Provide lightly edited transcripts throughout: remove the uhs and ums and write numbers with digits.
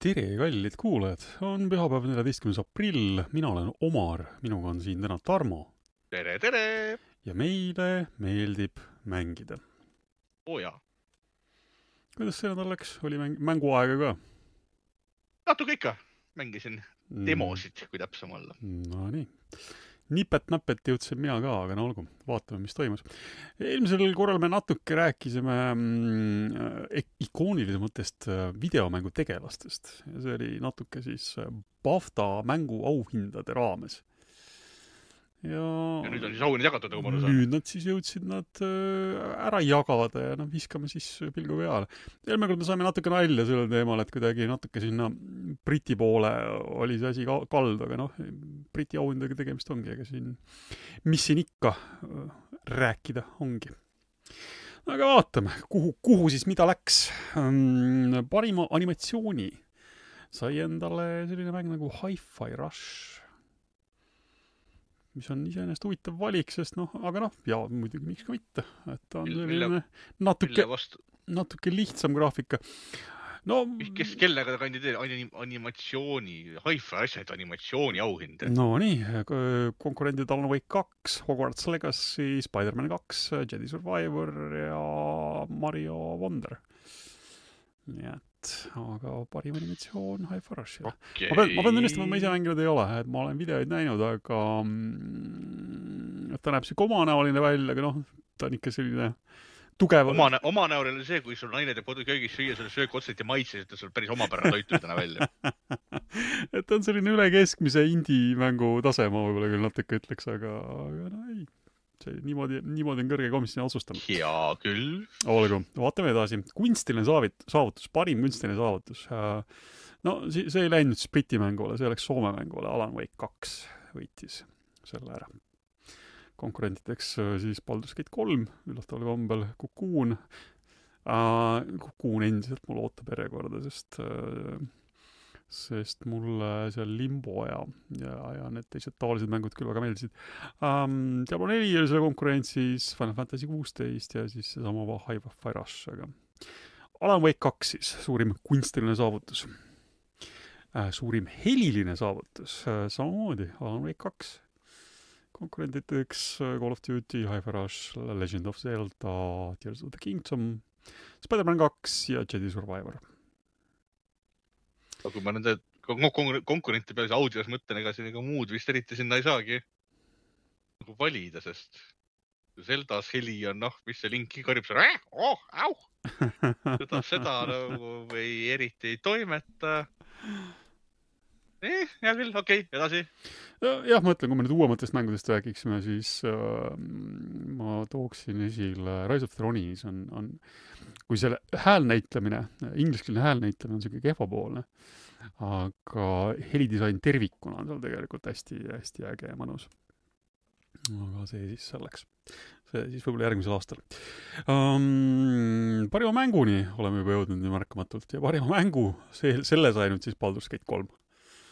Tere, kallid kuulajad! On pühapäev 14. aprill, mina olen Omar, minuga on siin täna Tarmo. Tere, tere! Ja meile meeldib mängida. Oo jaa. Kuidas see nädal läks? Oli mänguaega ka? Natuke ikka. Mängisin demosid, kui täpsem olla. No nii. Nipet-näpet jõudsin mina ka, aga no olgu, vaatame, mis toimus. Eelmisel korral me natuke rääkisime ikoonilise mõttest videomängu tegelastest. Ja see oli natuke siis BAFTA mängu auhindade raames. Ja nüüd on siis auhinnad jagatud, nagu ma aru saan. Nüüd nad siis jõudsid nad ära jagada ja viskame siis pilgu peale. Eelmine kord me saime natuke nalja sellel teemal, et kuidagi natuke sinna Briti poole oli see asi kaldu, aga Briti auhindadega tegemist ongi, ega siin, mis siin ikka rääkida ongi. Aga vaatame, kuhu siis mida läks. Parima animatsiooni sai endale selline mäng nagu Hi-Fi Rush, mis on iseenesest huvitav valik, sest aga ja muidugi miks ka mitte, et ta on selline natuke lihtsam graafika. Kes kellega kandideerib animatsiooni, Hi-Fi asjad animatsiooni auhind? No nii, konkurendid Alan Wake 2, Hogwarts Legacy, Spider-Man 2, Jedi Survivor ja Mario Wonder. Nii et, aga parim animatsioon Hi-Fi Rushile. Okay. Ma pean tunnistama, et ma ise mänginud ei ole, et ma olen videoid näinud, aga ta näeb siuke omanäoline välja, aga ta on ikka selline tugev. Omanäoline oli see, kui sul naine teeb koduköögis süüa, sul söök otseselt ja maitses, et sul päris omapärane toitudena välja. Et ta on selline üle keskmise indie-mängu tase, ma võib-olla küll natuke ütleks, aga ei. See niimoodi on kõrge komisjoni otsustanud. Hea küll. Olgu, vaatame edasi. Kunstiline saavutus, parim kunstiline saavutus. See ei läinud siis Briti mängule, see läks Soome mängule. Alan Wake 2 võitis selle ära. Konkurentideks siis Baldur's Gate 3, üllataval kombel Cocoon. Cocoon endiselt mul ootab järjekorda, sest mulle seal Limbo ja need teised tavalised mängud küll väga meeldisid. Diablo 4 oli selle konkurentsis, Final Fantasy 16 ja siis seesama Hi-Fi Rush. Aga Alan Wake 2 siis, suurim kunstiline saavutus. Suurim heliline saavutus, samamoodi Alan Wake 2. Konkurentideks Call of Duty, Hi-Fi Rush, Legend of Zelda, Tears of the Kingdom, Spider-Man 2 ja Jedi Survivor. Aga kui ma nende konkurente peale audios mõtlen, ega muud vist eriti sinna ei saagi nagu valida, sest Zeldas heli on, mis see Linki karjub seal, au! Seda nagu eriti ei toimeta. Hea küll, okei, edasi. Jah, ma ütlen, kui me nüüd uuematest mängudest räägiksime, siis ma tooksin esile Rise of the Ronis on kui selle häälnäitlemine, ingliskeelne häälnäitlemine on selline kehvapoolne, aga helidisain tervikuna on seal tegelikult hästi, hästi äge ja mõnus. Aga see siis selleks. See siis võib-olla järgmisel aastal. Parima mänguni oleme juba jõudnud nii märkamatult ja parima mängu selle sai nüüd siis Baldur's Gate 3.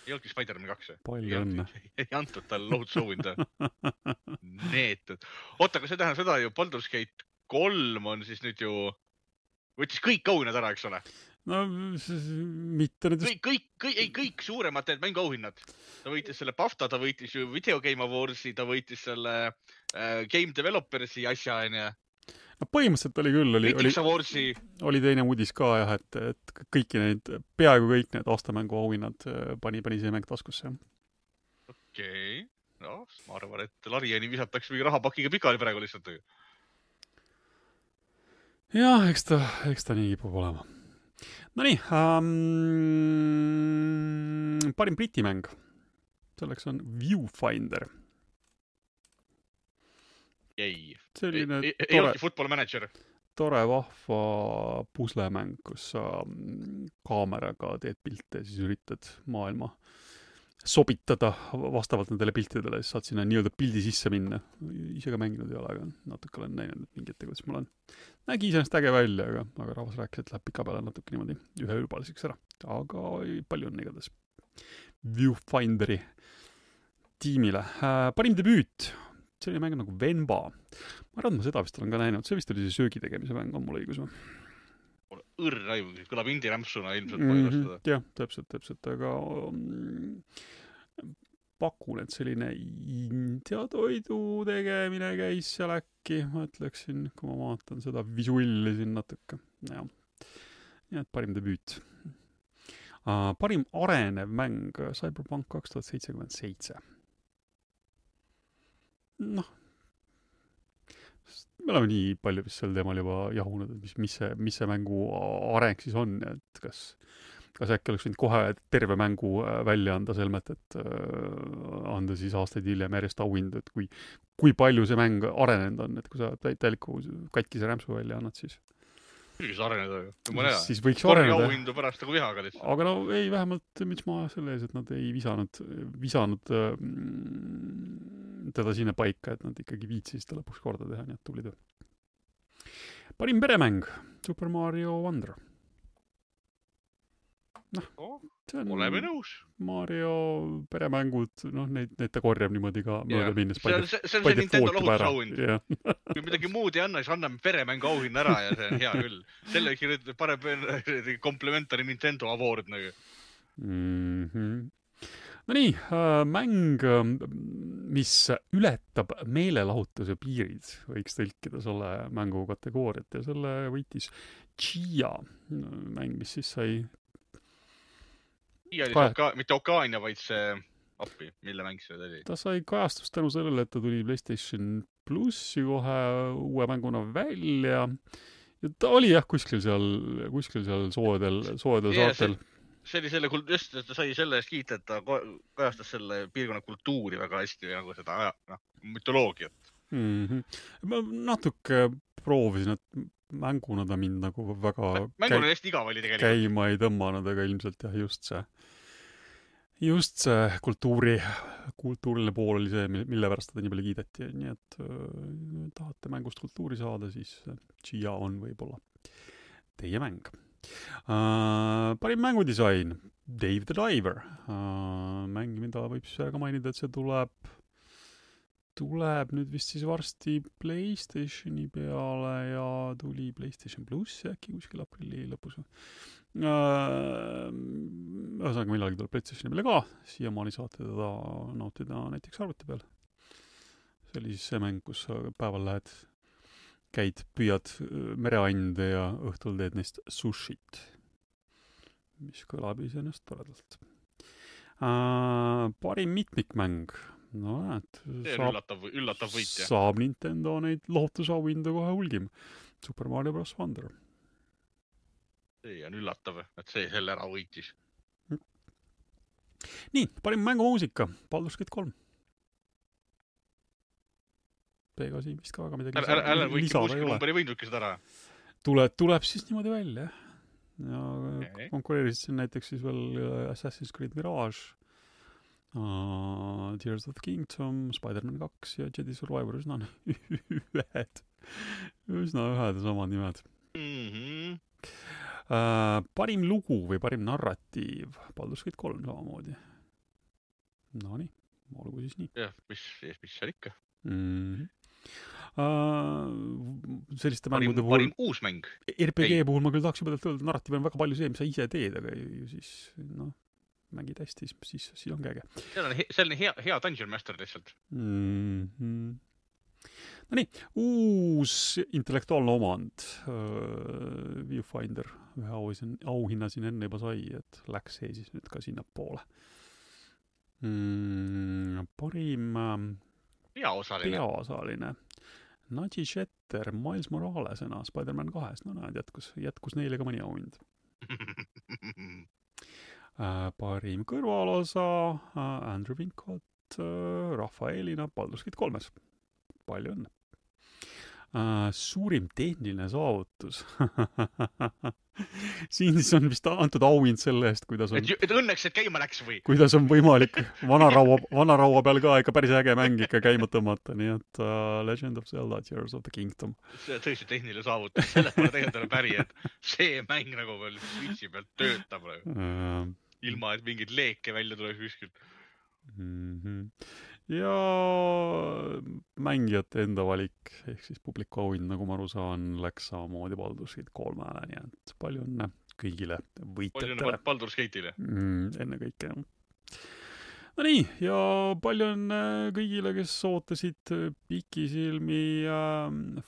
Ei olnudki Spider-Man 2. Palju õnne. Ei antud tal lohutusauhinda. Neetud. Oota, aga see tähendab seda ju, Baldur's Gate 3 on siis nüüd ju võttis kõik auhinnad ära, eks ole? No, mitte nüüd... Kõik suuremad need mänguauhinnad. Ta võitis selle BAFTA, ta võitis ju Video Game Awardsi, ta võitis selle Game Developersi asja, No põhimõtteliselt oli küll, oli teine uudis ka jah, et peaaegu kõik need aastamängu auhinnad pani see mäng taskusse. Okei. No, ma arvan, et Lariani visatakse mingi rahapakiga pikali praegu lihtsalt. Jah, eks ta nii kipub olema. No nii, parim Briti mäng. Selleks on Viewfinder. Ei olnudki Football Manager. Tore vahva puslemäng, kus sa kaameraga teed pilte ja siis üritad maailma sobitada vastavalt nendele piltidele, siis saad sinna nii-öelda pildi sisse minna. Ise ka mänginud ei ole, aga natuke olen näinud mingit tegudest mul on. Nägi iseenesest äge välja, aga rahvas rääkis, et läheb pika peale natuke niimoodi ühe ülbaliseks ära. Aga palju on igatahes Viewfinderi tiimile. Parim debüüt. See oli mäng nagu Venba. Ma arvan, ma seda vist olen ka näinud. See vist oli see söögi tegemise mäng, on mul õigus või? õrna aimu, kõlab indie-rämpsuna ilmselt põhjustada. Jah, täpselt, aga pakun, et selline India toidu tegemine käis seal äkki, ma ütleksin, kui ma vaatan seda visuilli siin natuke. Jah, nii et parim debüüt. Parim arenev mäng Cyberpunk 2077. Noh, me oleme nii palju vist sel teemal juba jahunud, et mis see mängu areng siis on, et kas äkki oleks võinud kohe terve mängu välja anda selmet, et anda siis aastaid hiljem järjest auhindu, et kui palju see mäng arenenud on, et kui sa täieliku katkise rämpsu välja annad, siis Võiks areneda ju. Siis võiks areneda. Korgi auhindu pärast nagu vihaga lihtsalt. Aga no ei, vähemalt miks ma selle ees, et nad ei visanud teda sinna paika, et nad ikkagi viitsid seda lõpuks korda teha, nii et tubli töö. Parim peremäng, Super Mario Wonder. Oleme nõus. Mario peremängud, neid ta korjab niimoodi ka mööda minnes. See on see Nintendo lohutusauhind. Kui midagi muud ei anna, siis anname peremängu auhinna ära ja see on hea küll. Selle parem komplementari Nintendo award nagu. No nii, mäng, mis ületab meelelahutuse piirid, võiks tõlkida selle mängu kategooriat ja selle võitis Chia mäng, mis siis sai mitte Okaania, vaid see appi, mille mäng see oli. Ta sai kajastust tänu sellele, et ta tuli PlayStation Plussi kohe uue mänguna välja. Ja ta oli jah kuskil seal soodel saartel. See oli just, et ta sai selle eest kiita, et ta kajastas selle piirkonna kultuuri väga hästi või nagu seda mütoloogiat. Ma natuke proovisin, et mänguna ta mind nagu väga mänguna hästi igav oli tegelikult. Käima ei tõmmanud, aga ilmselt jah, just see kultuuriline pool oli see, mille pärast teda nii palju kiideti. Nii et tahate mängust kultuuri saada, siis Chia on võib-olla teie mäng. Parim mängudisain, Dave the Diver. Mäng, mida võib siis ka mainida, et see tuleb nüüd vist siis varsti PlayStationi peale ja tuli PlayStation Plus äkki kuskil aprilli lõpus. Ühesõnaga millalgi tuleb PlayStationi peale ka, siiamaani saate teda nautida näiteks arvuti peal. See oli siis see mäng, kus sa päeval käid, püüad mereande ja õhtul teed neist sushit, mis kõlab iseenesest toredalt. Parim mitmikmäng. No näed, üllatav võitja. Saab Nintendo neid lohutusauhindu kohe hulgim. Super Mario Bros. Wonder. See on üllatav, et see selle ära võitis. Nii, parim mängumuusika, Baldur's Gate 3. Peega siin vist ka väga midagi lisada ei ole. Ei võindudki seda ära. Tuleb siis niimoodi välja. Ja konkureerisid siin näiteks siis veel Assassin's Creed Mirage, Tears of the Kingdom, Spider-Man 2 ja Jedi Survivor, üsna ühed ja samad nimed. Parim lugu või parim narratiiv, Baldur's Gate 3 samamoodi. No nii, olgu siis nii. Jah, mis seal ikka? Selliste mängude puhul parim uus mäng. RPG puhul ma küll tahaks juba öelda, narratiiv on väga palju see, mis sa ise teed, aga siis mängid hästi, siis on käge. See on hea Dungeon Master lihtsalt. No nii, uus intellektuaalne omand, Viewfinder, ühe auhinna siin enne juba sai, et läks see siis nüüd ka sinna poole. Parim peaosaline. Nadji Shetter, Miles Moralesena, Spider-Man 2, no näed, jätkus neile ka mõni auhind. Parim kõrvalosa, Andrew Wincott, Rafaelina, Baldur's Gate 3. Palju õnne. Suurim tehniline saavutus. Siin siis on vist antud auhind selle eest, kuidas on... Et õnneks, et käima läks või? Kuidas on võimalik vanaraua peal ka ikka päris äge mäng ikka käima tõmmata, nii et Legend of Zelda, Tears of the Kingdom. See on tõesti tehniline saavutus, selle pole tegelikult päri, et see mäng nagu veel switchi pealt töötab. Ilma, et mingid leeke välja tuleb kuskilt. ja mängijate enda valik, ehk siis publiku auhind, nagu ma aru saan, läks samamoodi Baldur's Gate 3-le, nii et palju õnne kõigile palju võitjatele. õnne Baldur's Gate'ile. Ennekõike, jah. No nii, ja palju õnne kõigile, kes ootasid pikisilmi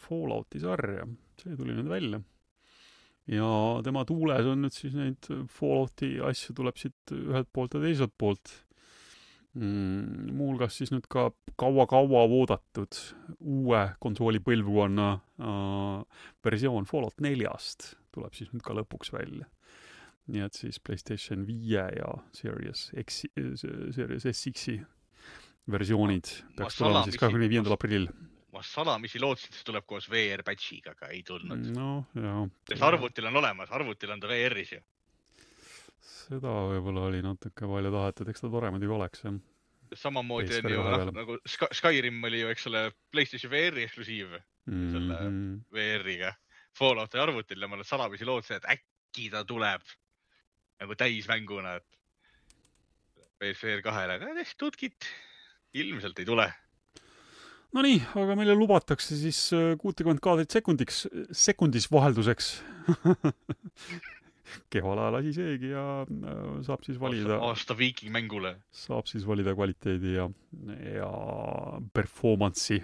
Fallouti sarja. See tuli nüüd välja. Ja tema tuules on nüüd siis neid Fallouti asju tuleb siit ühelt poolt ja teiselt poolt. Muuhulgas siis nüüd ka kaua-kaua oodatud uue konsooli põlvkonna versioon Fallout 4-st tuleb siis nüüd ka lõpuks välja. Nii et siis PlayStation 5 ja Series SX-i versioonid peaks tulema siis 25. aprillil. Ma salamisi lootsin, et see tuleb koos VR-patchiga, aga ei tulnud. No, jah. Sest arvutil on olemas, arvutil on ta VR-is ju. Seda võib-olla oli natuke palju tahetud, eks ta tore muidugi oleks, jah. Samamoodi on ju, nagu Skyrim oli ju, eks ole, PlayStation VR-i eksklusiiv selle VR-iga. Fallouti arvutil ja ma salamisi lootsin, et äkki ta tuleb nagu täismänguna, et PSVR 2-le, aga tutkit ilmselt ei tule. No nii, aga meile lubatakse siis 60 kaadrit sekundis vahelduseks. Kehval ajal asi seegi ja saab siis valida aasta viiking mängule. Saab siis valida kvaliteedi ja performance'i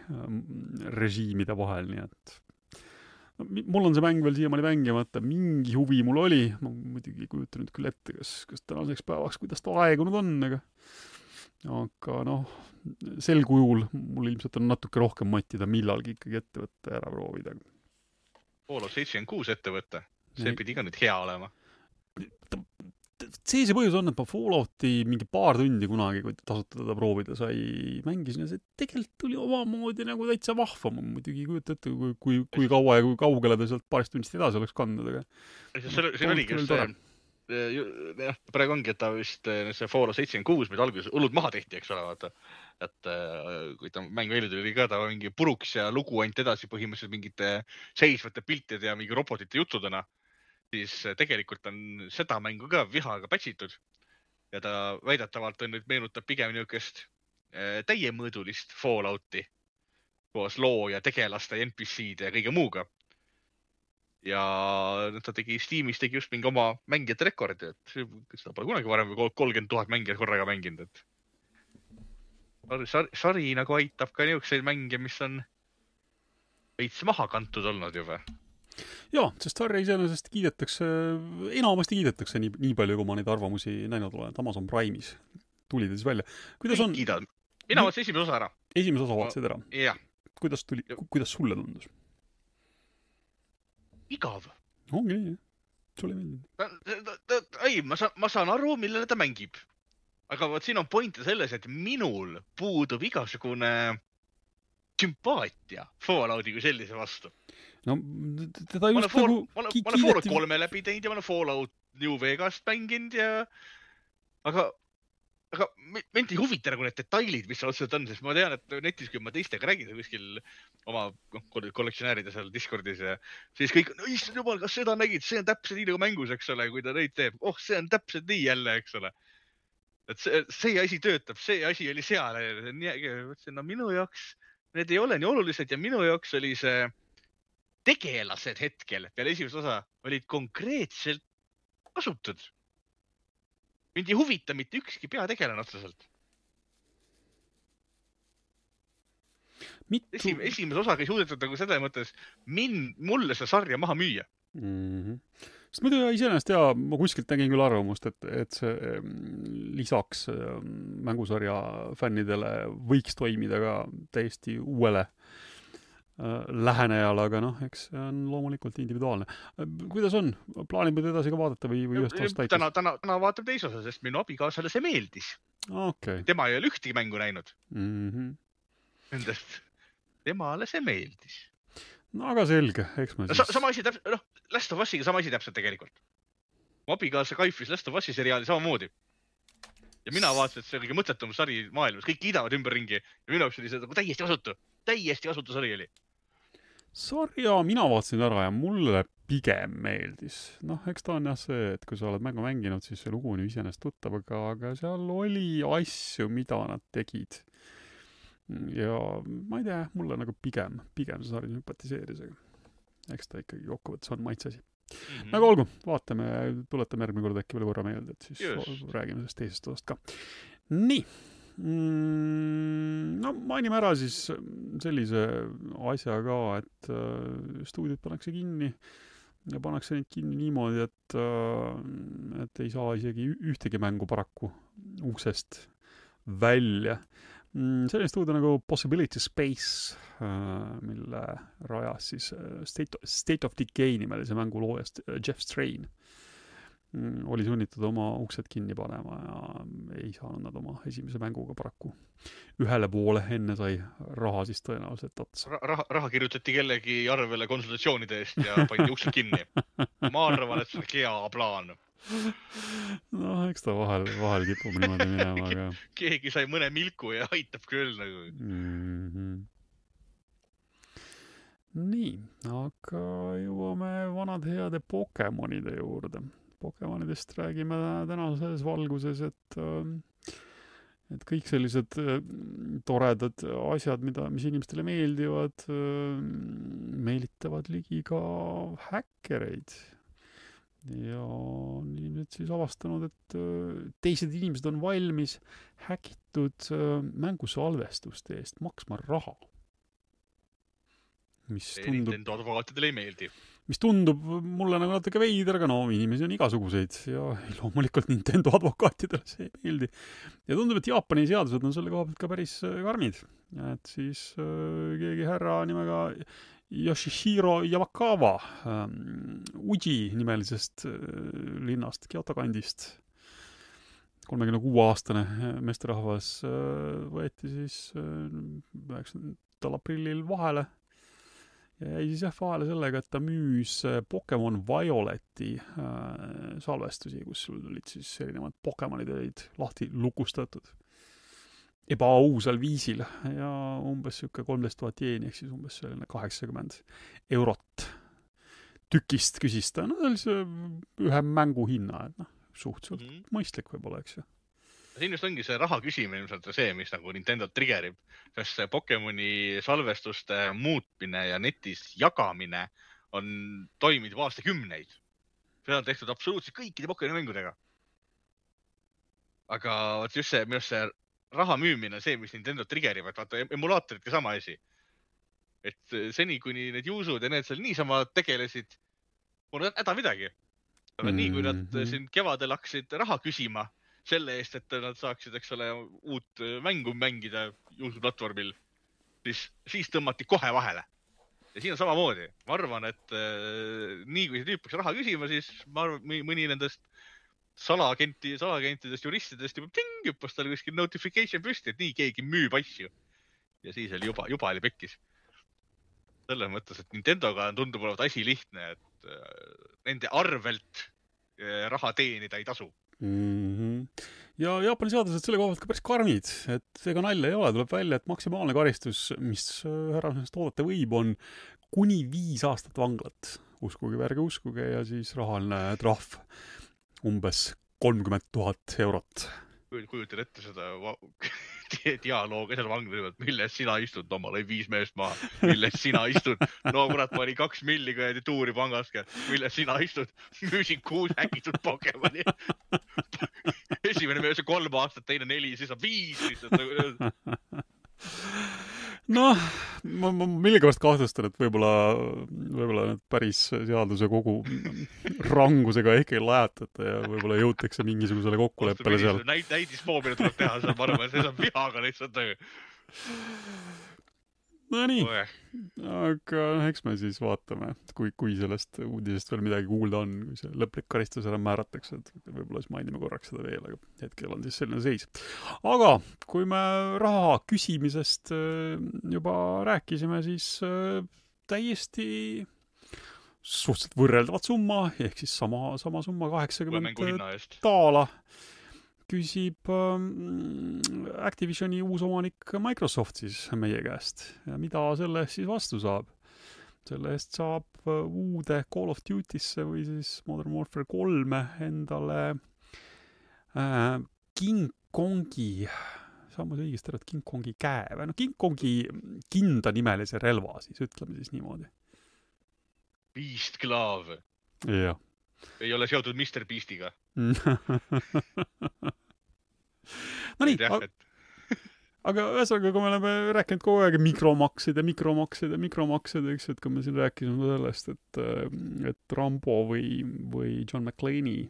režiimide vahel, nii et mul on see mäng veel siiamaani mängimata, mingi huvi mul oli, ma muidugi ei kujuta nüüd küll ette, kas tänaseks päevaks, kuidas ta aegunud on, aga noh, sel kujul mul ilmselt on natuke rohkem matida millalgi ikkagi ette võtta ja ära proovida. Fallout 76 ette võtta, see pidi ka nüüd hea olema. See põhjus on, et ma Fallouti mingi paar tundi kunagi, kui tasuta teda proovida sai, mängisin ja see tegelikult tuli omamoodi nagu täitsa vahva. Ma muidugi ei kujuta ette, kui kaua ja kui kaugele ta sealt paarist tunnist edasi oleks kandnud. See oligi just see, praegu ongi, et ta vist see Fallout 76, mida alguses hullud maha tehti, eks ole, vaata. Et kui ta mäng välja tuli ka, ta mingi puruks ja lugu ainult edasi põhimõtteliselt mingite seisvate piltide ja mingi robotite juttudena. Siis tegelikult on seda mängu ka vihaga patchitud ja ta väidetavalt on nüüd meenutab pigem niisugust täiemõõdulist Fallouti koos loo ja tegelaste ja NPC-de ja kõige muuga. Ja ta tegi Steamis just mingi oma mängijate rekordi, et seda pole kunagi varem 30 000 mängijat korraga mänginud. Sari nagu aitab ka niisuguseid mänge, mis on veits maha kantud olnud juba. Jaa, sest sarja iseenesest enamasti kiidetakse nii palju, kui ma neid arvamusi näinud olen, et Amazon Prime'is tuli ta siis välja. Kuidas on? Mina vaatasin esimese osa ära. Esimese osa vaatasid ära? Jah. Kuidas sulle tundus? Igav. Ongi nii, jah. Sulle meeldib. Ei, ma saan aru, millele ta mängib. Aga siin on pointe selles, et minul puudub igasugune sümpaatia Fallouti kui sellise vastu. No, teda just nagu ma olen Fallout 3 läbi teinud ja ma olen Fallout New Vegast mänginud ja aga mind ei huvita nagu need detailid, mis otseselt on, sest ma tean, et netis, kui ma teistega räägin kuskil oma kollektsionääride seal Discordis ja siis kõik, no issand jumal, kas seda nägid, see on täpselt nii nagu mängus, eks ole, kui ta neid teeb. See on täpselt nii jälle, eks ole. Et see asi töötab, see asi oli seal. No minu jaoks need ei ole nii olulised ja minu jaoks oli see tegelased hetkel peale esimest osa olid konkreetselt kasutud. Mind ei huvita mitte ükski peategelane otseselt. Esimese osaga ei suudetud nagu seda mõttes mulle see sarja maha müüa. Sest muidu iseenesest ma kuskilt nägin küll arvamust, et see lisaks mängusarja fännidele võiks toimida ka täiesti uuele lähenejal, aga noh, eks see on loomulikult individuaalne. Kuidas on? Plaanib nüüd edasi ka vaadata või ühest osa täitis? Täna vaatab teise osa, sest minu abikaasale see meeldis. Okay. Tema ei ole ühtegi mängu näinud. Nendest. Temale see meeldis. No aga selge, eks ma siis... Sama asi täpselt, Last of Usiga sama asi täpselt tegelikult. Mu abikaasa kaifis Last of Usi seriaali samamoodi. Ja mina vaatasin, et see oli mõtletum sari maailmas. Kõik kiidavad ümberringi ja minu jaoks oli see täiesti kasutu sari oli. Sarja mina vaatasin ära ja mulle pigem meeldis. Noh, eks ta on jah see, et kui sa oled mängu mänginud, siis see lugu on ju iseenesest tuttav, aga seal oli asju, mida nad tegid. ja ma ei tea, mulle nagu pigem see sari sümpatiseeris, aga eks ta ikkagi kokkuvõttes on maitseasi. Nagu olgu, vaatame, tuletame järgmine kord äkki veel korra meelde, et siis räägime sellest teisest osast ka. Nii. No mainime ära siis sellise asja ka, et stuudiod pannakse kinni ja pannakse neid kinni niimoodi, et ei saa isegi ühtegi mängu paraku uksest välja. Selline stuudio nagu Possibility Space, mille rajas siis State of Decay nimelise mängu loojast Jeff Strain. Oli sunnitud oma uksed kinni panema ja ei saanud nad oma esimese mänguga paraku ühele poole, enne sai raha siis tõenäoliselt otsa. Raha kirjutati kellegi arvele konsultatsioonide eest ja pandi uksed kinni. Ma arvan, et see on hea plaan. No, eks ta vahel kipub niimoodi minema, aga... Keegi sai mõne milku ja aitab küll nagu. Nii, aga jõuame vanad heade Pokemonide juurde. Pokemonidest räägime tänases valguses, et kõik sellised toredad asjad, mis inimestele meeldivad, meelitavad ligi ka häkkereid. Ja inimesed siis avastanud, et teised inimesed on valmis häkitud mängusalvestuste eest maksma raha. Nintendo advokaatidele ei meeldi. Mis tundub mulle nagu natuke veider, aga no inimesi on igasuguseid ja loomulikult Nintendo advokaatidele see ei meeldi. Ja tundub, et Jaapani seadused on selle koha pealt ka päris karmid. Et siis keegi härra nimega Yoshihiro Yamakawa Uji nimelisest linnast, Kyoto kandist, 36-aastane meesterahvas võeti siis 9. aprillil vahele ja jäi siis vahele sellega, et ta müüs Pokemon Violeti salvestusi, kus olid siis erinevad Pokemonid olid lahti lukustatud ebaausal viisil ja umbes 13 000 jeeni, ehk siis umbes 80 eurot tükist küsis ta. No see oli ühe mängu hinna, et suhteliselt mõistlik võib-olla, eks ju. Siin just ongi see raha küsimine ilmselt see, mis nagu Nintendo triggerib, sest see Pokemoni salvestuste muutmine ja netis jagamine on toiminud aastakümneid. Seda on tehtud absoluutselt kõikide Pokemoni mängudega. Aga just see, minu see raha müümine, see, mis Nintendo triggerib, et vaata, emulaatoridki sama asi. Et seni, kuni need juusud ja need seal niisama tegelesid, pole häda midagi. Aga nii, kui nad siin kevadel hakkasid raha küsima selle eest, et nad saaksid, eks ole, uut mängu mängida juusuplatvormil, siis tõmmati kohe vahele. Ja siin on samamoodi. Ma arvan, et nii kui see tüüp peaks raha küsima, siis ma arvan, mõni nendest salaagentidest, juristidest hüppas tal kuskil notification püsti, et nii keegi müüb asju. Ja siis oli juba oli pekkis. Selles mõttes, et Nintendoga tundub olevat asi lihtne, et nende arvelt raha teenida ei tasu. Ja Jaapani seadused selle kohalt ka päris karmid, et ega nalja ei ole, tuleb välja, et maksimaalne karistus, mis härrasest oodata võib, on kuni 5 aastat vanglat. Uskuge või ärge uskuge ja siis rahaline trahv umbes 30 000 eurot. Kujutan ette seda dialoogi seal vangla, milles sina istud, no ma lõi 5 meest maha, milles sina istud, no kurat, ma olin 2 milliga ja tuuri pangaske, milles sina istud, müüsin 6 häkitud Pokemoni. Esimene mees on 3 aastat, teine 4, siis on 5 lihtsalt. Noh, ma millegipärast kahtlustan, et võib-olla need päris seaduse kogu rangusega ehk ei lajatata ja võib-olla jõutakse mingisugusele kokkuleppele seal. Näidispoomine tuleb teha, seal ma arvan, et see on vihaga lihtsalt töö. No nii, aga eks me siis vaatame, kui sellest uudisest veel midagi kuulda on, kui see lõplik karistus ära määratakse, et võib-olla siis mainime korraks seda veel, aga hetkel on siis selline seis. Aga kui me raha küsimisest juba rääkisime, siis täiesti suhteliselt võrreldavad summa, ehk siis sama summa 80 taala küsib Activisioni uus omanik Microsoft siis meie käest. Ja mida selle eest siis vastu saab? Selle eest saab uude Call of Duty'sse või siis Modern Warfare 3 endale King Kongi samas õigesti arvad King Kongi käe või King Kongi kinda nimelise relva siis, ütleme siis niimoodi. Beast Glove. Jah. Ei ole seotud Mr. Beastiga. No nii, aga ühesõnaga, kui me oleme rääkinud kogu aeg mikromaksed, eks, et kui me siin rääkisime sellest, et Rambo või John McClane'i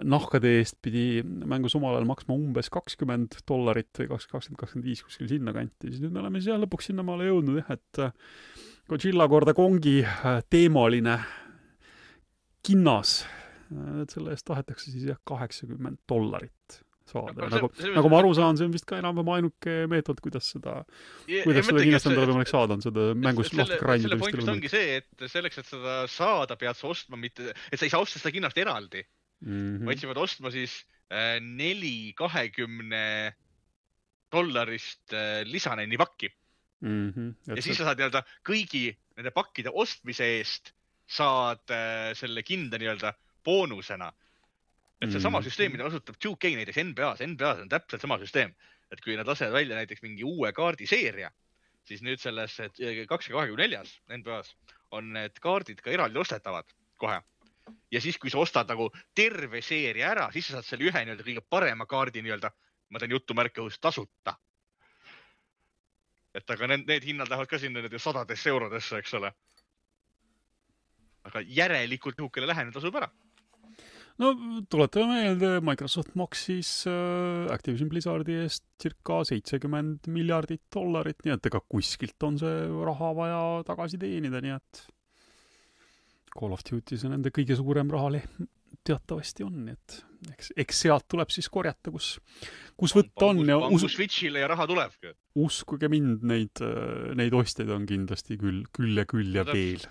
nahkade eest pidi mängus omal ajal maksma umbes $20 või 20-25 kuskil sinna kanti, siis nüüd me oleme siis lõpuks sinnamaale jõudnud, et Godzilla korda Kongi teemaline kinnas, et selle eest tahetakse siis $80 saada. Nagu ma aru saan, see on vist ka enam-vähem ainuke meetod, kuidas seda kinnast endale võimalik saada, on seda mängus lahti grindida. Selle point ongi see, et selleks, et seda saada, pead sa ostma mitte, et sa ei saa osta seda kinnast eraldi, vaid sa pead ostma siis 4 $20 lisaneni pakki. Ja siis sa saad nii-öelda kõigi nende pakkide ostmise eest saad selle kinda nii-öelda boonusena. Et see sama süsteem, mida kasutab 2K näiteks NBA-s on täpselt sama süsteem. Et kui nad lasevad välja näiteks mingi uue kaardiseeria, siis nüüd selles 2K24 NBA-s on need kaardid ka eraldi ostetavad kohe. Ja siis, kui sa ostad nagu terve seeria ära, siis sa saad selle ühe nii-öelda kõige parema kaardi nii-öelda, ma teen jutumärke tasuta. Et aga need hinnad lähevad ka sinna €100, eks ole. Aga järelikult nihukene lähene tasub ära. No tuletame meelde, Microsoft maksis Activision Blizzardi eest circa $70 miljardit, nii et ega kuskilt on see raha vaja tagasi teenida, nii et Call of Duty see nende kõige suurem rahale teatavasti on, nii et eks sealt tuleb siis korjata, kus võtta on. Pangu Switchile ja raha tulebki. Uskuge mind, neid ostjaid on kindlasti küll ja veel.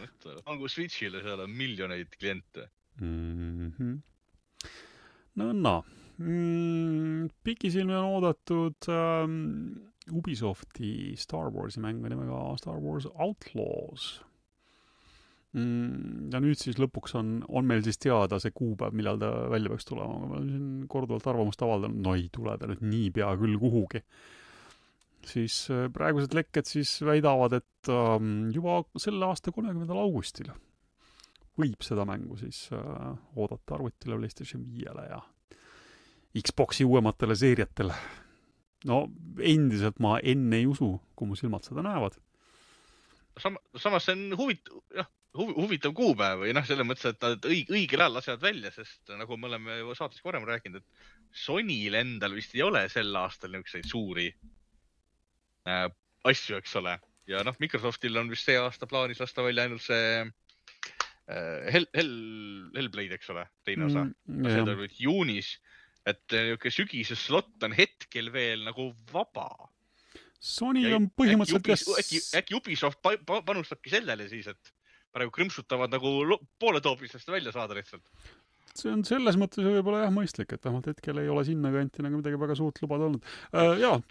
Pangu Switchile, seal on miljoneid kliente. Pikisilmi on oodatud Ubisofti Star Warsi mängu nimega Star Wars Outlaws. Ja nüüd siis lõpuks on meil siis teada see kuupäev, millal ta välja peaks tulema. Ma olen siin korduvalt arvamust avaldanud, no ei tule ta nüüd nii pea küll kuhugi. Siis praegused lekked siis väidavad, et juba selle aasta 30. augustil võib seda mängu siis oodata arvutile PlayStation 5-le ja Xboxi uuematele seeriatele. No endiselt ma enne ei usu, kui mu silmad seda näevad. Samas see on huvitav kuupäev või selles mõttes, et nad õigel ajal lasevad välja, sest nagu me oleme saates varem rääkinud, et Sonyl endal vist ei ole sel aastal niisuguseid suuri asju, eks ole. Ja Microsoftil on vist see aasta plaanis lasta välja ainult see Hellblade, eks ole, teine osa. See tuleb juunis, et sügise slot on hetkel veel nagu vaba. Sony on põhimõtteliselt... Äkki Ubisoft panustabki sellele siis, et praegu krõmsutavad nagu poole toopistest välja saada lihtsalt. See on selles mõttes võib-olla mõistlik, et vähemalt hetkel ei ole sinna kanti nagu midagi väga suurt lubada olnud.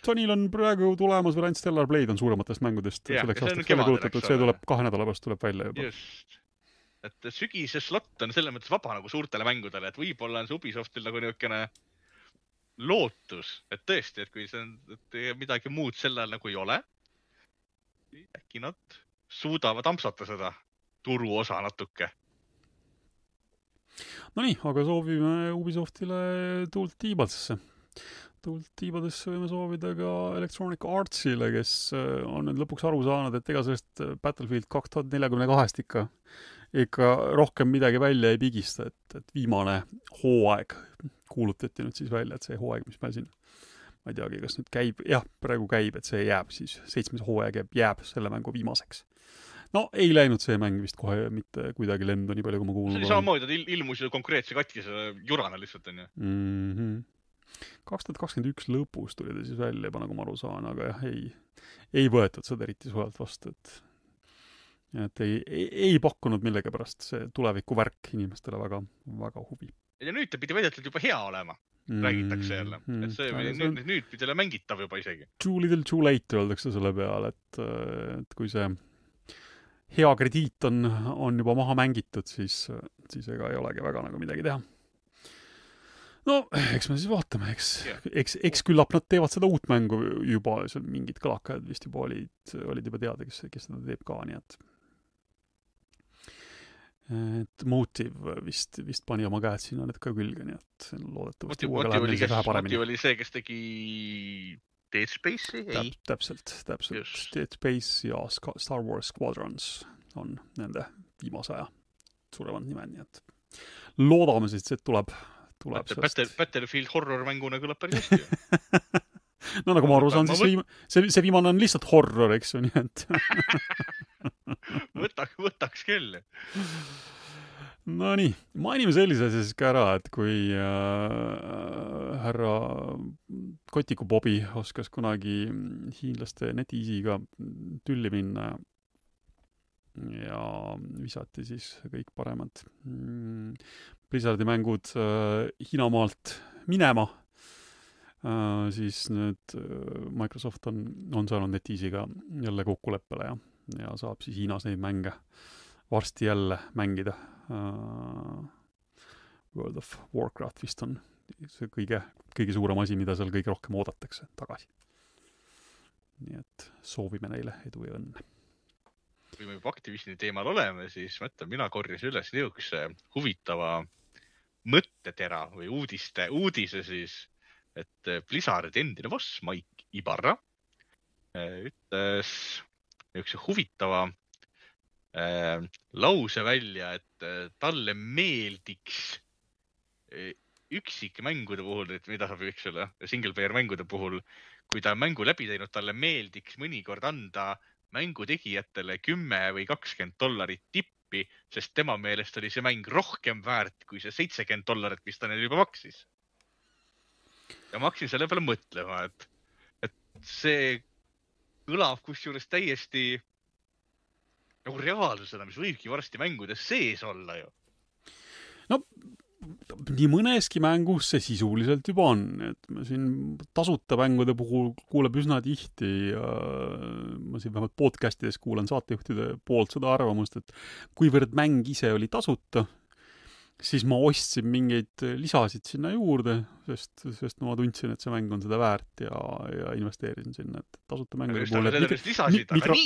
Sonyl on praegu tulemas variant Stellar Blade on suurematest mängudest. Selleks aastaks välja kulutatud, see tuleb 2 nädala pärast tuleb välja juba. Just. Et sügise slot on selles mõttes vaba nagu suurtele mängudele, et võib-olla on see Ubisoftil nagu niisugune lootus, et tõesti, et kui see midagi muud sellel nagu ei ole, äkki nad suudavad ampsata seda turuosa natuke. No nii, aga soovime Ubisoftile tuult tiibadesse. Tuult tiibadesse võime soovida ka Electronic Artsile, kes on nüüd lõpuks aru saanud, et ega sellest Battlefield 2042 ikka rohkem midagi välja ei pigista, et viimane hooaeg kuulutati nüüd siis välja, et see hooaeg, mis meil siin, ma ei teagi, kas nüüd käib, praegu käib, et see jääb siis, 7. hooaeg jääb selle mängu viimaseks. No ei läinud see mäng vist kohe mitte kuidagi lendu, nii palju kui ma kuulnud. See oli samamoodi, et ilmus konkreetse katkise jurana lihtsalt, on ju. 2021 lõpus tuli ta siis välja juba, nagu ma aru saan, aga ei võetud seda eriti sujalt vastu, et ei pakkunud millegi pärast see tuleviku värk inimestele väga, väga huvi. Ja nüüd ta pidi väidetult juba hea olema, räägitakse jälle. Et see nüüd pidi jälle mängitav juba isegi. Too little too late öeldakse selle peale, et kui see hea krediit on juba maha mängitud, siis ega ei olegi väga nagu midagi teha. no, eks me siis vaatame, Jah. eks küllap nad teevad seda uut mängu juba, seal mingid kõlakad vist juba olid juba teada, kes seda teeb ka, nii et Motive vist pani oma käed sinna need ka külge, nii et loodetavasti uuega läheb neil see vähe paremini. Motive oli see, kes tegi Dead Space'i? Ei. Täpselt. Just. Dead Space ja Star Wars Squadrons on nende viimase aja suuremad nimed, nii et loodame siis, et tuleb Battlefield horror-mänguna kõlab päris hästi. no nagu ma aru saan, siis see viimane on lihtsalt horror, eks ju, nii et võtaks küll. No nii, mainime sellise asja siis ka ära, et kui härra Kotiku Bobi oskas kunagi hiinlaste NetEasy'ga tülli minna ja visati siis kõik paremad Blizzardi mängud Hiinamaalt minema, siis nüüd Microsoft on saanud NetEasy'ga jälle kokkuleppele ja saab siis Hiinas neid mänge varsti jälle mängida. World of Warcraft vist on see kõige suurem asi, mida seal kõige rohkem oodatakse tagasi. Nii et soovime neile edu ja õnne. Kui me juba Activisioni teemal oleme, siis mõtlen, mina korjasin üles niisuguse huvitava mõttetera või uudise siis, et Blizzardi endine boss Mike Ibarra ütles niisuguse huvitava lause välja, et talle meeldiks üksikmängude puhul, et mida saab single player mängude puhul, kui ta mängu läbi teinud, talle meeldiks mõnikord anda mängutegijatele $10 või $20 tippi, sest tema meelest oli see mäng rohkem väärt kui see $70, mis ta neil juba maksis. Ja ma hakkasin selle peale mõtlema, et see kõlab kusjuures täiesti nagu reaalsusena, mis võibki varsti mängudes sees olla ju. No, nii mõneski mängus see sisuliselt juba on, et ma siin tasuta mängude puhul kuuleb üsna tihti ja ma siin vähemalt podcastides kuulan saatejuhtide poolt seda arvamust, et kuivõrd mäng ise oli tasuta, siis ma ostsin mingeid lisasid sinna juurde, sest ma tundsin, et see mäng on seda väärt ja investeerisin sinna, et tasuta mängude puhul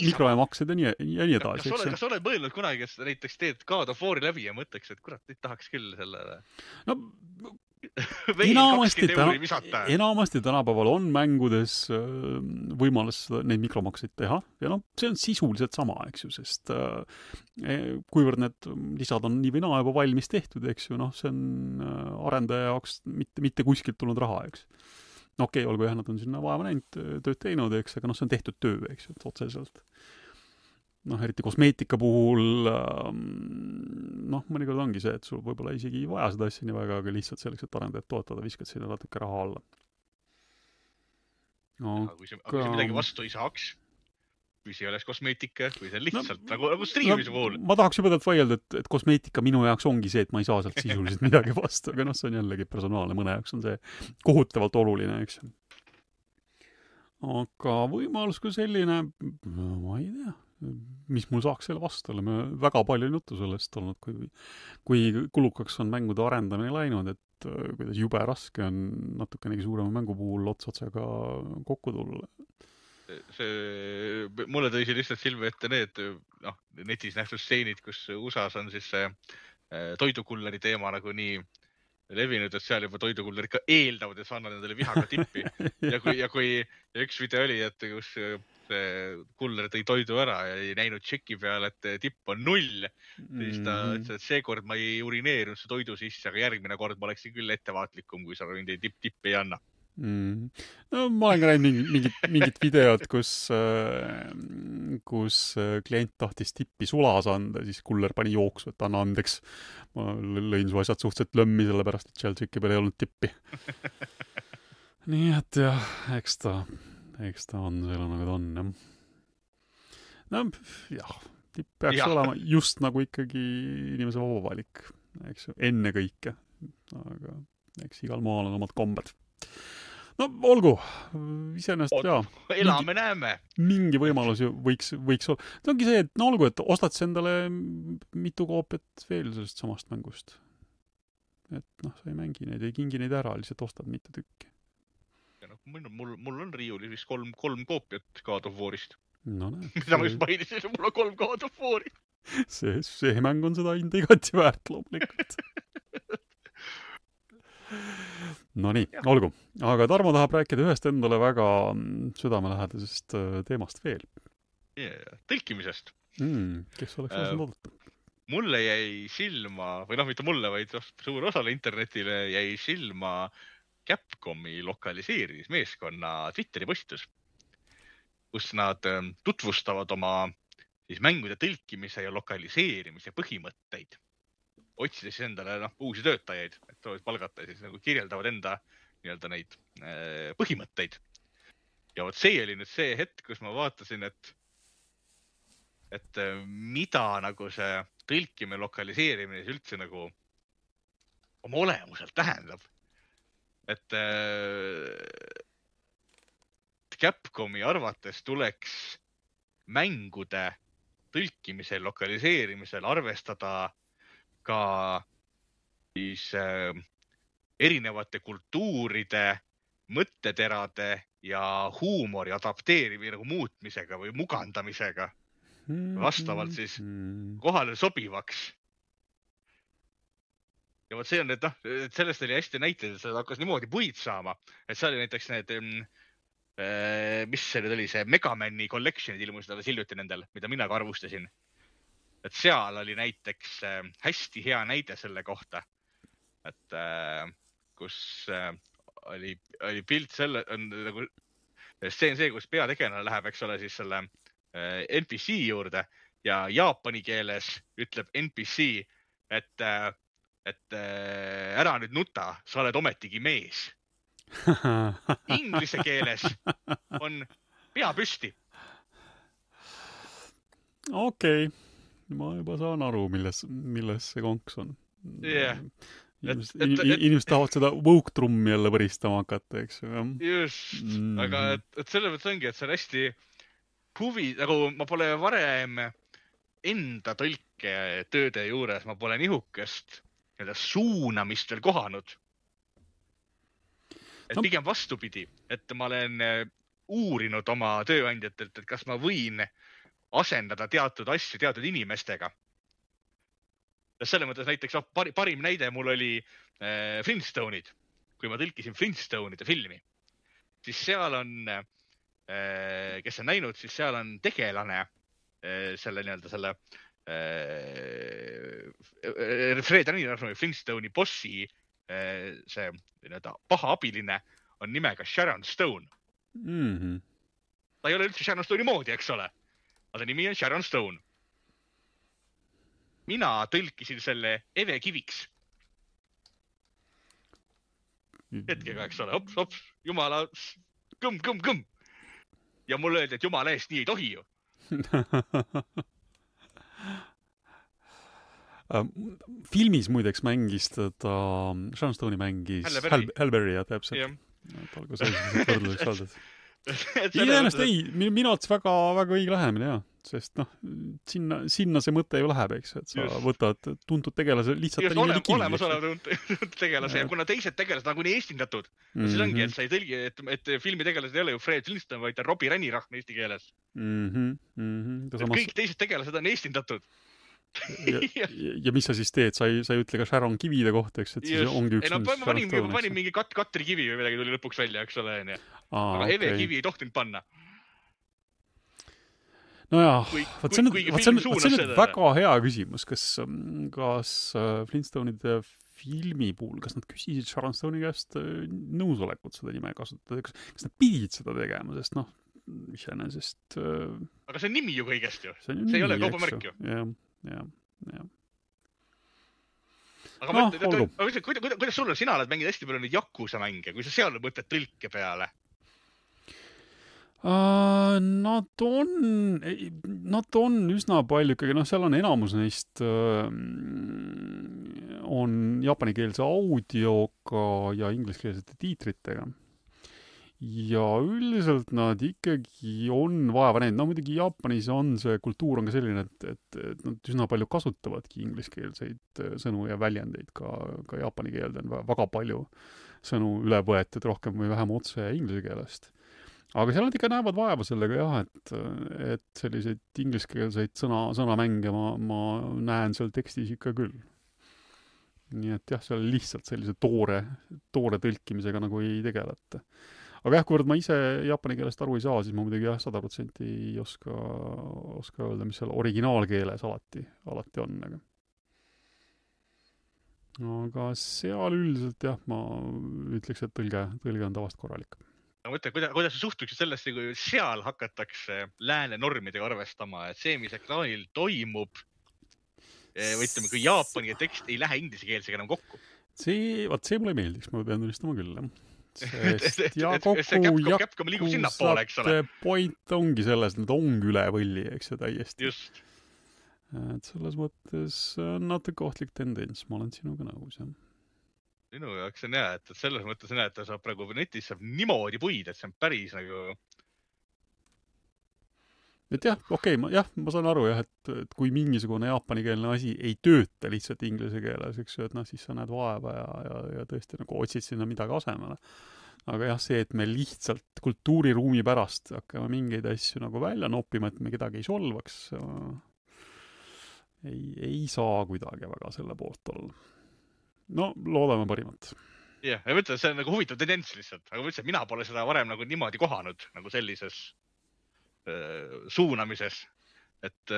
mikroemaksed ja nii edasi. Kas sa oled mõelnud kunagi, et näiteks teed God of War'i läbi ja mõtleks, et kurat, nüüd tahaks küll sellele? No, enamasti tänapäeval on mängudes võimalus neid mikromakseid teha ja see on sisuliselt sama, eks ju, sest kuivõrd need lisad on nii või naa juba valmis tehtud, eks ju, see on arendaja jaoks mitte kuskilt tulnud raha, eks. Okei, olgu jah, nad on sinna vaeva näinud, tööd teinud, eks, aga see on tehtud töö, eks ju, otseselt. Eriti kosmeetika puhul, mõnikord ongi see, et sul võib-olla isegi ei vaja seda asja nii väga, aga lihtsalt selleks, et arendajat toetada, viskad sinna natuke raha alla. Kui see midagi vastu ei saaks, kui see ei oleks kosmeetika, kui see on lihtsalt nagu striimise puhul. Ma tahaks juba tead vaielda, et kosmeetika minu jaoks ongi see, et ma ei saa sealt sisuliselt midagi vastu, aga see on jällegi personaalne, mõne jaoks on see kohutavalt oluline, eks. Aga võimalus kui selline, ma ei tea, mis mul saaks selle vastu olla. Me väga palju juttu sellest olnud, kui kulukaks on mängude arendamine läinud, et kuidas jube raske on natukenegi suurema mängu puhul otsotsaga kokku tulla. Mulle tõi see lihtsalt silme ette need netis nähtud stseenid, kus USAs on siis see toidukulleri teema nagu nii levinud, et seal juba toidukullerid ka eeldavad, et sa annad nendele vihaga tippi. Ja üks video oli, et kus kuller tõi toidu ära ja ei näinud tšeki peale, et tipp on 0. Siis ta ütles, et seekord ma ei urineerinud see toidu sisse, aga järgmine kord ma oleksin küll ettevaatlikum, kui sa mind tippi ei anna. No ma olen ka näinud mingit videot, kus klient tahtis tippi sulas anda, siis kuller pani jooksu, et anna andeks. Ma lõin su asjad suhteliselt lõmmi, sellepärast, et seal tšeki peal ei olnud tippi. Nii et jah, eks ta on selle nagu ta on, jah. Tipp peaks olema just nagu ikkagi inimese vaba valik, eks ju, enne kõike. Aga eks igal maal on omad kombed. No olgu, iseenesest jaa. Elame näeme. Mingi võimalus ju võiks olla. See ongi see, et olgu, et ostad endale mitu koopiat veel sellest samast mängust. et noh, sa ei mängi neid, ei kingi neid ära, lihtsalt ostad mitu tükki. Ja noh, mul on riiulis vist kolm koopiat God of War'ist. No näed. Mida ma just mainisin, mul on 3 God of War'i. See mäng on seda hinda igati väärt loomulikult. No nii, olgu. Aga Tarmo tahab rääkida ühest endale väga südamelähedasest teemast veel. Tõlkimisest. Kes oleks osanud oodata? Mulle jäi silma, või noh, mitte mulle, vaid suur osale internetile jäi silma Capcomi lokaliseerimismeeskonna Twitteri postitus, kus nad tutvustavad oma siis mängude tõlkimise ja lokaliseerimise põhimõtteid. Otsides endale uusi töötajaid, et soovid palgata, siis nagu kirjeldavad enda nii-öelda neid põhimõtteid. Ja vot see oli nüüd see hetk, kus ma vaatasin, et mida nagu see tõlkimine, lokaliseerimine üldse nagu oma olemuselt tähendab. Et Capcomi arvates tuleks mängude tõlkimisel, lokaliseerimisel arvestada ka siis erinevate kultuuride, mõtteterade ja huumori adapteerimise nagu muutmisega või mugandamisega vastavalt siis kohale sobivaks. Ja vot see on, et sellest oli hästi näiteid, et seda hakkas niimoodi puid saama, et see oli näiteks need, mis see nüüd oli, see Megamani collectionid ilmusid alles hiljuti nendel, mida mina ka arvustasin. Et seal oli näiteks hästi hea näide selle kohta, et kus oli pilt selle, nagu see, kus peategelane läheb, eks ole, siis selle NPC juurde ja jaapani keeles ütleb NPC, et ära nüüd nuta, sa oled ometigi mees. Inglise keeles on pea püsti. Okei. Ma juba saan aru, milles see konks on. Inimesed tahavad seda woke-trummi jälle võristama hakata, eks ju. Just, aga et selle mõttes ongi, et see on hästi huvi, nagu ma pole varem enda tõlketööde juures, ma pole nihukest suunamist veel kohanud. Et pigem vastupidi, et ma olen uurinud oma tööandjatelt, et kas ma võin asendada teatud asju teatud inimestega. Selle mõttes näiteks parim näide mul oli Flintstone'id. Kui ma tõlkisin Flintstone'ide filmi, siis seal on, kes on näinud, siis seal on tegelane selle nii-öelda selle Fred Reinhardt Flintstone'i bossi see nii-öelda paha abiline on nimega Sharon Stone. Ta ei ole üldse Sharon Stone'i moodi, eks ole. Aga nimi on Sharon Stone. Mina tõlkisin selle Eve Kiviks. Hetkega, eks ole, hops, jumala, kõmm. Ja mulle öeldi, et jumala eest nii ei tohi ju. Filmis muideks mängis teda, Sharon Stone'i mängis Halle Berry, jah, täpselt. Olgu sellised võrdluseks saadud. Iseenesest ei, minu ots väga õige lähemine, jah. Sest sinna see mõte ju läheb, eks, et sa võtad tuntud tegelase lihtsalt just olemasolev tuntud tegelase ja kuna teised tegelased on kuni eestindatud, siis ongi, et sa ei tõlgi, et filmi tegelased ei ole ju Fred Flintstone, vaid ta Robbie Rennirahn eesti keeles. Kõik teised tegelased on eestindatud. Ja mis sa siis teed? Sa ei ütle ka Sharon Kivide kohta, eks, et siis ongi üks ma panin mingi Katri Kivi või midagi tuli lõpuks välja, eks ole, aga Eve Kivi ei tohtinud panna. Nojah, see on väga hea küsimus, kas Flintstone'ide filmi puhul, kas nad küsisid Sharon Stone'i käest nõusolekut seda nime kasutada, kas nad pidid seda tegema, sest iseenesest aga see on nimi ju kõigest ju, see ei ole kaubamärk ju. Jah. Aga kuidas sulle, sina oled mänginud hästi palju neid Yakuza mänge, kui sa seal mõtled tõlke peale? Nad on üsna palju ikkagi, seal on enamus neist on jaapanikeelse audioga ja ingliskeelsete tiitritega. ja üldiselt nad ikkagi on vaeva näinud. No muidugi Jaapanis on see kultuur on ka selline, et nad üsna palju kasutavadki ingliskeelseid sõnu ja väljendeid ka jaapani keelde on väga palju sõnu üle võetud rohkem või vähem otse inglise keelest. Aga seal nad ikka näevad vaeva sellega jah, et selliseid ingliskeelseid sõnamänge ma näen seal tekstis ikka küll. Nii et jah, seal lihtsalt sellise toore tõlkimisega nagu ei tegeleta. Aga jah, kuivõrd ma ise jaapani keelest aru ei saa, siis ma muidugi jah, 100% ei oska öelda, mis seal originaalkeeles alati on. Aga seal üldiselt jah, ma ütleks, et tõlge on tavast korralik. Ma mõtlen, kuidas sa suhtuksid sellesse, kui seal hakatakse lääne normidega arvestama, et see, mis ekraanil toimub, või ütleme, kui jaapani tekst ei lähe inglisekeelsega enam kokku. See mulle meeldiks, ma pean tunnistama küll, jah. Sest Capcom liigub sinnapoole, eks ole. Point ongi selles, et nad ongi üle võlli, eks ju, täiesti. Just. Et selles mõttes natuke ohtlik tendents, ma olen sinuga nõus, jah. Minu jaoks on jah, et selles mõttes on jah, et ta saab praegu netis saab niimoodi puid, et see on päris nagu... Et jah, okei, ma saan aru jah, et kui mingisugune jaapanikeelne asi ei tööta lihtsalt inglise keeles, eks ju, et siis sa näed vaeva ja tõesti nagu otsid sinna midagi asemele. Aga jah, see, et me lihtsalt kultuuriruumi pärast hakkame mingeid asju nagu välja noppima, et me kedagi ei solvaks, ei saa kuidagi väga selle poolt olla. No, loodame parimat. Jah, ja mõtlen, see on nagu huvitav tendents lihtsalt, aga mõtlen, mina pole seda varem nagu niimoodi kohanud nagu sellises suunamises, et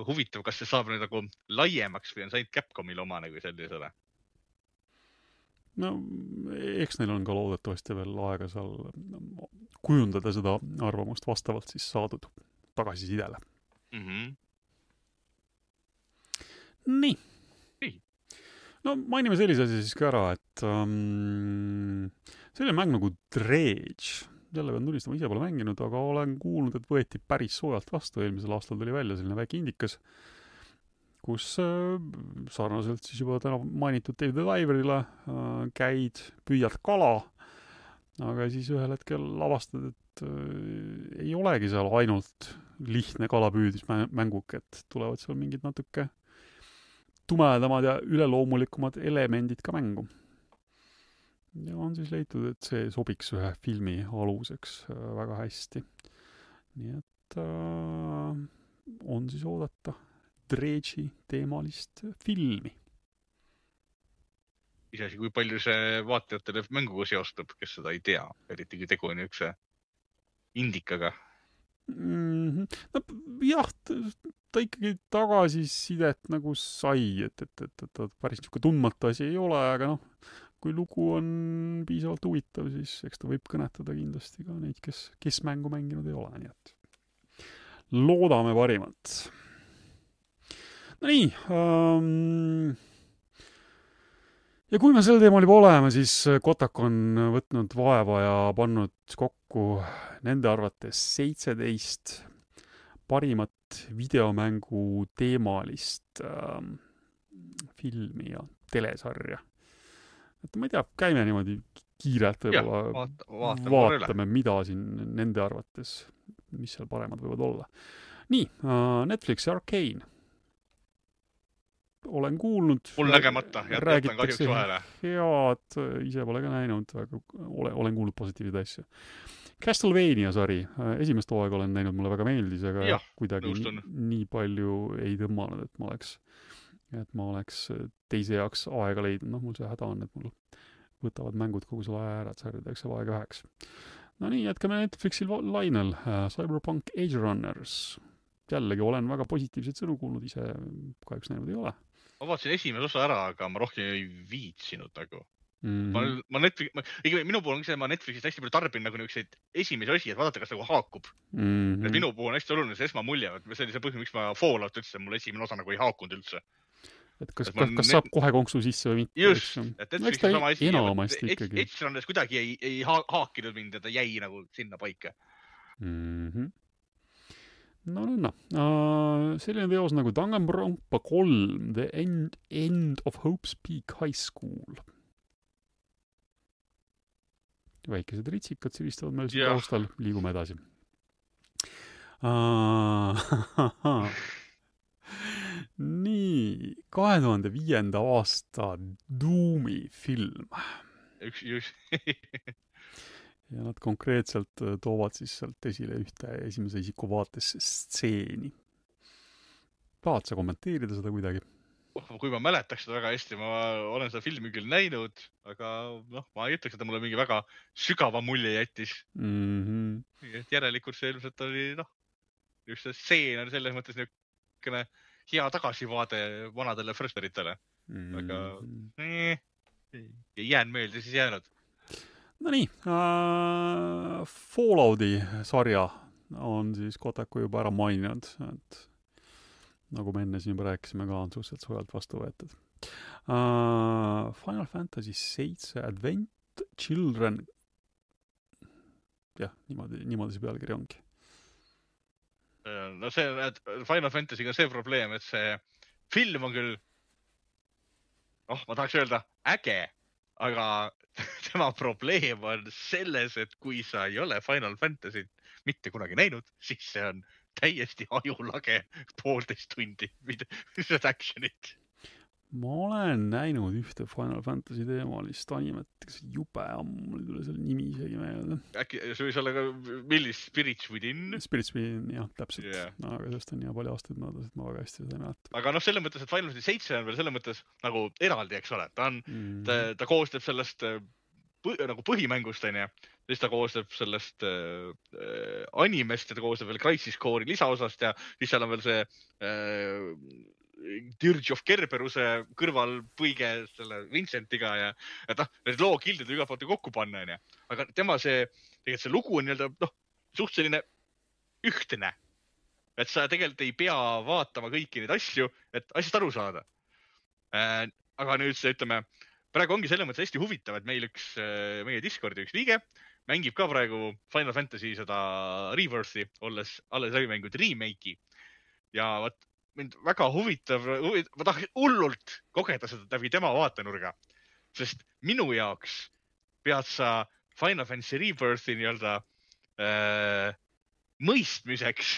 huvitav, kas see saab nüüd nagu laiemaks või on see ainult Capcomil oma nagu sellisele? No, eks neil on ka loodetavasti veel aega seal kujundada seda arvamust vastavalt siis saadud tagasisidele. Nii. No, mainime sellise asi siis ka ära, et selline mäng nagu Dredge, jälle pean tunnistama, ise pole mänginud, aga olen kuulnud, et võeti päris soojalt vastu. Eelmisel aastal tuli välja selline väike indikas, kus sarnaselt siis juba täna mainitud Dave the Diverile käid, püüad kala, aga siis ühel hetkel avastad, et ei olegi seal ainult lihtne kalapüüdismänguk, et tulevad seal mingid natuke tumedamad ja üleloomulikumad elemendid ka mängu. Ja on siis leitud, et see sobiks ühe filmi aluseks väga hästi. Nii et on siis oodata Dredge'i teemalist filmi. Isegi kui palju see vaatajatele mänguga seostub, kes seda ei tea, eriti kui tegu on üks indikaga. No, jah, ta ikkagi tagasisidet nagu sai, et päris niisugune tundmatu asi ei ole, aga kui lugu on piisavalt huvitav, siis eks ta võib kõnetada kindlasti ka neid, kes mängu mänginud ei ole, nii et loodame parimat. No nii, ja kui me sel teemal juba oleme, siis Kotaku on võtnud vaeva ja pannud kokku nende arvates 17 parimat videomängu teemalist filmi ja telesarja. Et ma ei tea, käime niimoodi kiirelt vaatame, mida siin nende arvates, mis seal paremad võivad olla. Nii, Netflix Arcane. Olen kuulnud. Mul nägemata, jätan kahjuks vahele. Head, ise pole ka näinud, aga olen kuulnud positiivseid asju. Castlevania sari, esimest hooaega olen näinud, mulle väga meeldis, aga kuidagi nii palju ei tõmmanud, et ma oleks teise jaoks aega leidnud. Mul see häda on, et mul võtavad mängud kogu selle aja ära, et sarjadeks saab aega üheks. No nii, jätkame Netflixil lainel. Cyberpunk Edge Runners. Jällegi olen väga positiivseid sõnu kuulnud, ise kahjuks näinud ei ole. Ma vaatasin esimese osa ära, aga ma rohkem ei viitsinud nagu. Ma minu puhul on see, ma Netflixist hästi palju tarbin nagu niisuguseid esimesi osi, et vaadata, kas nagu haakub. Minu puhul on hästi oluline see esmamulje, see oli see põhjus, miks ma Fallout üldse, mul esimene osa nagu ei haakunud üldse. Et kas saab kohe konksu sisse või mitte? Just, et Netflixis on sama asi. Enamasti ikkagi. Edge Runners kuidagi ei haakinud mind, et ta jäi nagu sinna paika. No. Selline teos nagu Danganronpa 3, The End of Hope's Peak High School. väikesed ritsikad siristavad meil siin Jah. taustal, liigume edasi. Nii, 2005. aasta Doomi film. Üks. Ja nad konkreetselt toovad siis sealt esile ühte esimese isiku vaates stseeni. Tahad sa kommenteerida seda kuidagi? Kui ma mäletaks seda väga hästi, ma olen seda filmi küll näinud, aga ma ei ütleks, et mulle mingi väga sügava mulje jättis. Järelikult see ilmselt oli, just see stseen on selles mõttes niisugune hea tagasivaade vanadele Frösteritele. Aga ei jäänud meelde, siis jäänud. No nii, Fallouti sarja on siis Kotaku juba ära maininud, et nagu me enne siin juba rääkisime ka, on suhteliselt sojalt vastu võetud. Final Fantasy 7 Advent Children, jah, niimoodi see pealkiri ongi. No see, et Final Fantasy'ga see probleem, et see film on küll, ma tahaks öelda äge, aga tema probleem on selles, et kui sa ei ole Final Fantasy't mitte kunagi näinud, siis see on täiesti ajulage 1,5 tundi, mis actionit. Ma olen näinud ühte Final Fantasy teemalist animet, kas jube ammu, mul tuli selle nimi isegi meelde. Äkki see võis olla ka millist Spirits Within? Spirits Within, jah, täpselt. Yeah. No, aga sellest on nii palju aastaid möödas, et ma väga hästi seda ei mäleta. Aga selles mõttes, et Final Fantasy 7 on veel selles mõttes nagu eraldi, eks ole. Ta koostab sellest nagu põhimängust, on ju. Siis ta koostab sellest animest ja ta koostab veel Crisis Core'i lisaosast ja siis seal on veel see Dirge of Kerberuse kõrval põige selle Vincentiga ja need lookildid iga poolt kokku panna, on ju. Aga tema tegelikult see lugu on suht selline ühtne. Et sa tegelikult ei pea vaatama kõiki neid asju, et asjast aru saada. Aga nüüd see, ütleme, praegu ongi selles mõttes hästi huvitav, et meie Discordi üks liige mängib ka praegu Final Fantasy seda Rebirthi, alles läbi mänginud remake'i. Ja mind väga huvitav, ma tahaks hullult kogeda seda läbi tema vaatenurga, sest minu jaoks pead sa Final Fantasy Rebirthi mõistmiseks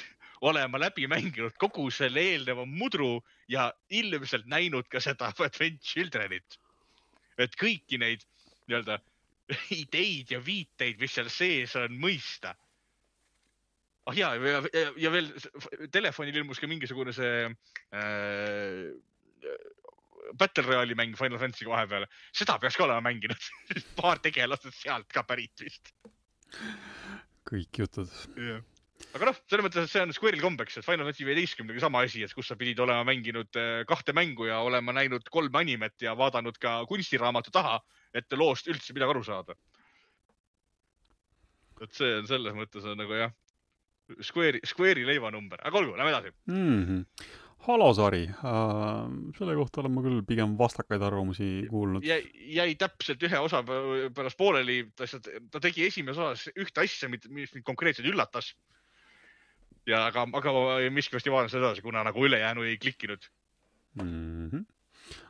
olema läbi mänginud kogu selle eelneva mudru ja ilmselt näinud ka seda Advent Childrenit. Et kõiki neid ideid ja viiteid, mis seal sees on mõista. Ja veel telefonil ilmus ka mingisugune see Battle Royale'i mäng Final Fantasy vahepeal. Seda peaks ka olema mänginud. Paar tegelased sealt ka pärit vist. Kõik jutud. Yeah. Aga selles mõttes, et see on Square'il kombeks, et Final Fantasy 15 sama asi, et kus sa pidid olema mänginud 2 mängu ja olema näinud 3 animet ja vaadanud ka kunstiraamatu taha, et loost üldse midagi aru saada. Et see on selles mõttes on nagu jah, Square'i leivanumber. Aga olgu, lähme edasi. Halo-sari. Selle kohta olen ma küll pigem vastakaid arvamusi kuulnud. Jäi täpselt ühe osa pärast pooleli. Ta tegi esimese osas ühte asja, mis mind konkreetselt üllatas. Aga miskivasti vaatan seda edasi, kuna nagu ülejäänu ei klikkinud.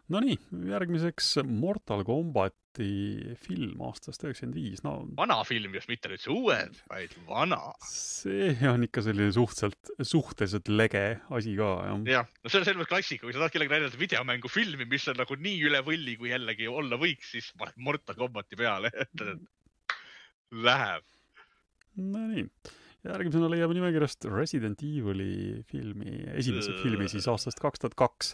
No nii, järgmiseks Mortal Kombati film aastast 95. Vana film, just mitte nüüd see uued, vaid vana. See on ikka selline suhteliselt lege asi ka. Jah, see on selline klassika, kui sa tahad kellegi näidata videomängu filmi, mis on nagu nii üle võlli, kui jällegi olla võiks, siis paned Mortal Kombati peale. Läheb. No nii. Järgmisena leiab nimekirjast Resident Evil'i esimese filmi siis aastast 2002.